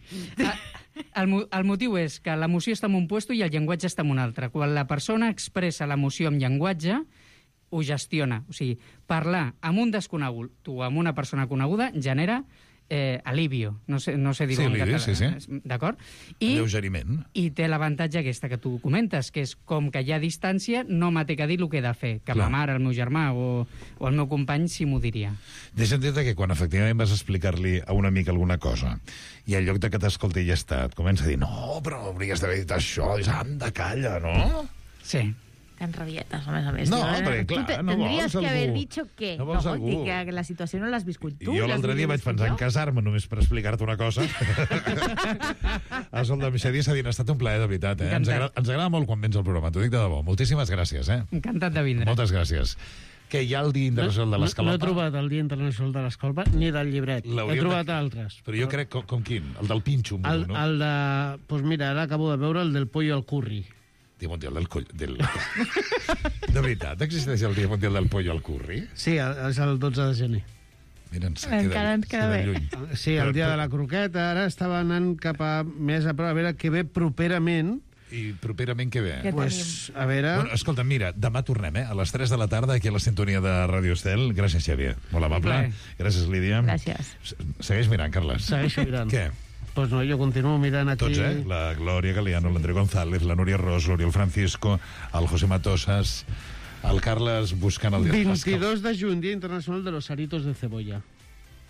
El motiu és que l'emoció està en un puesto i el llenguatge està en un altre. Quan la persona expressa l'emoció amb llenguatge, ho gestiona. O sigui, parlar amb un desconegut o amb una persona coneguda genera alivio. No sé dir-ho en català. Sí. D'acord? Alleugeriment. I té l'avantatge aquesta que tu comentes, que és com que hi ha distància, no m'ha de dir el que he de fer, que ma mare, el meu germà o el meu company sí m'ho diria. Deixa'm dir-te que quan efectivament vas explicar-li a un amic alguna cosa i en lloc de que t'escolti i ja està, et comença a dir no, però hauries d'haver dit això, i anda, calla, no? Sí. Tan rabietes, a més. No, perquè clar, no vols algú. Que haver dicho què? No vols algú. Dic que la situació no l'has viscut tu. Jo l'altre dia vaig pensar en casar-me només per explicar-te una cosa. Escolta'm, Xavier Sadin, ha estat un plaer, de veritat. Ens agrada molt quan vens al programa, t'ho dic de debò. Moltíssimes gràcies. Encantat de vindre. Moltes gràcies. Que hi ha el Dia Internacional de l'Escalopa? No he trobat el Dia Internacional de l'Escalopa ni del llibret. He trobat altres. Però jo crec, com quin? El del pinxo, no? El de... Doncs mira, ara acabo de veure el del pollo al curri. Dia Mundial del Coll... De veritat, existeix el Dia Mundial del Pollo al Curri? Sí, és el 12 de gener. Mira, ens queda lluny. Sí, el dia de la croqueta. Ara estava anant cap a més a prop, a veure què ve properament. I properament què ve? Pues, a veure... Bueno, escolta, mira, demà tornem, a les 3 de la tarda, aquí a la sintonia de Ràdio Estel. Gràcies, Xavier. Molt amable. Gràcies, Lídia. Gràcies. Segueix mirant, Carles. Segueixo mirant. Què? Pues no, jo continuo mirant aquí... Tots, La Glòria Galeano, l'André González, la Núria Ros, l'Oriol Francisco, el José Matosas, el Carles buscant el... 22 de juny, Dia Internacional de los Aritos de Cebolla.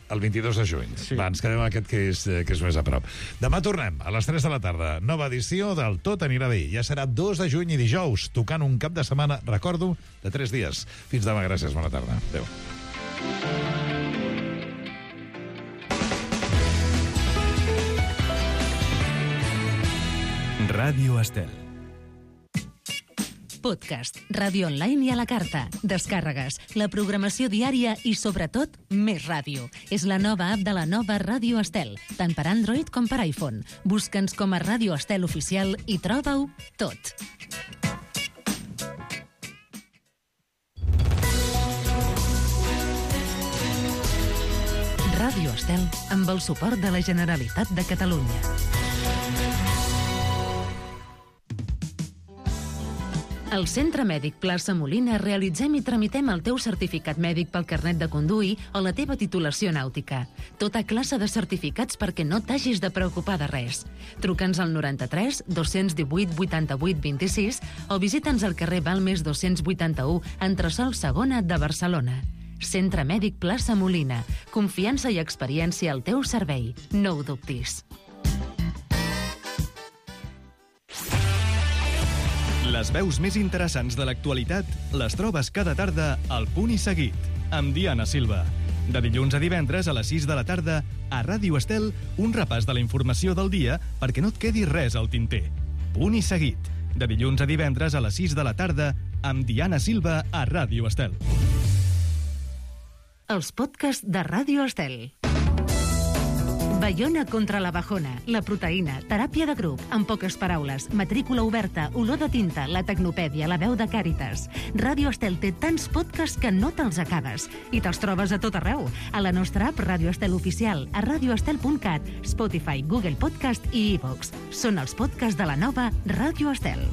El 22 de juny. Sí. Va, ens quedem aquest que és més a prop. Demà tornem, a les 3 de la tarda. Nova edició del Tot anirà bé. Ja serà 2 de juny i dijous, tocant un cap de setmana, recordo, de 3 dies. Fins demà, gràcies, bona tarda. Adéu. Ràdio Estel. Podcast, ràdio online i a la carta, descàrregues, la programació diària i, sobretot, més ràdio. És la nova app de la nova Ràdio Estel, tant per Android com per iPhone. Busca'ns com a Ràdio Estel Oficial i troba-ho tot. Ràdio Estel, amb el suport de la Generalitat de Catalunya. Al Centre Mèdic Plaça Molina realitzem i tramitem el teu certificat mèdic pel carnet de conduir o la teva titulació nàutica. Tota classe de certificats perquè no t'hagis de preocupar de res. Truca'ns al 93 218 88 26 o visita'ns al carrer Balmes 281, entresòl Segona de Barcelona. Centre Mèdic Plaça Molina. Confiança i experiència al teu servei. No ho dubtis. Les veus més interessants de l'actualitat les trobes cada tarda al Punt i Seguit, amb Diana Silva. De dilluns a divendres a les 6 de la tarda, a Ràdio Estel, un repàs de la informació del dia perquè no et quedi res al tinter. Punt i Seguit. De dilluns a divendres a les 6 de la tarda, amb Diana Silva a Ràdio Estel. Els podcasts de Ràdio Estel. Baiona contra la bajona, la proteïna, teràpia de grup, en poques paraules, matrícula oberta, olor de tinta, la tecnopèdia, la veu de Càritas. Ràdio Estel té tants podcasts que no te'ls acabes. I te'ls trobes a tot arreu. A la nostra app Ràdio Estel Oficial, a radioestel.cat, Spotify, Google Podcast i iVoox. Són els podcasts de la nova Ràdio Estel.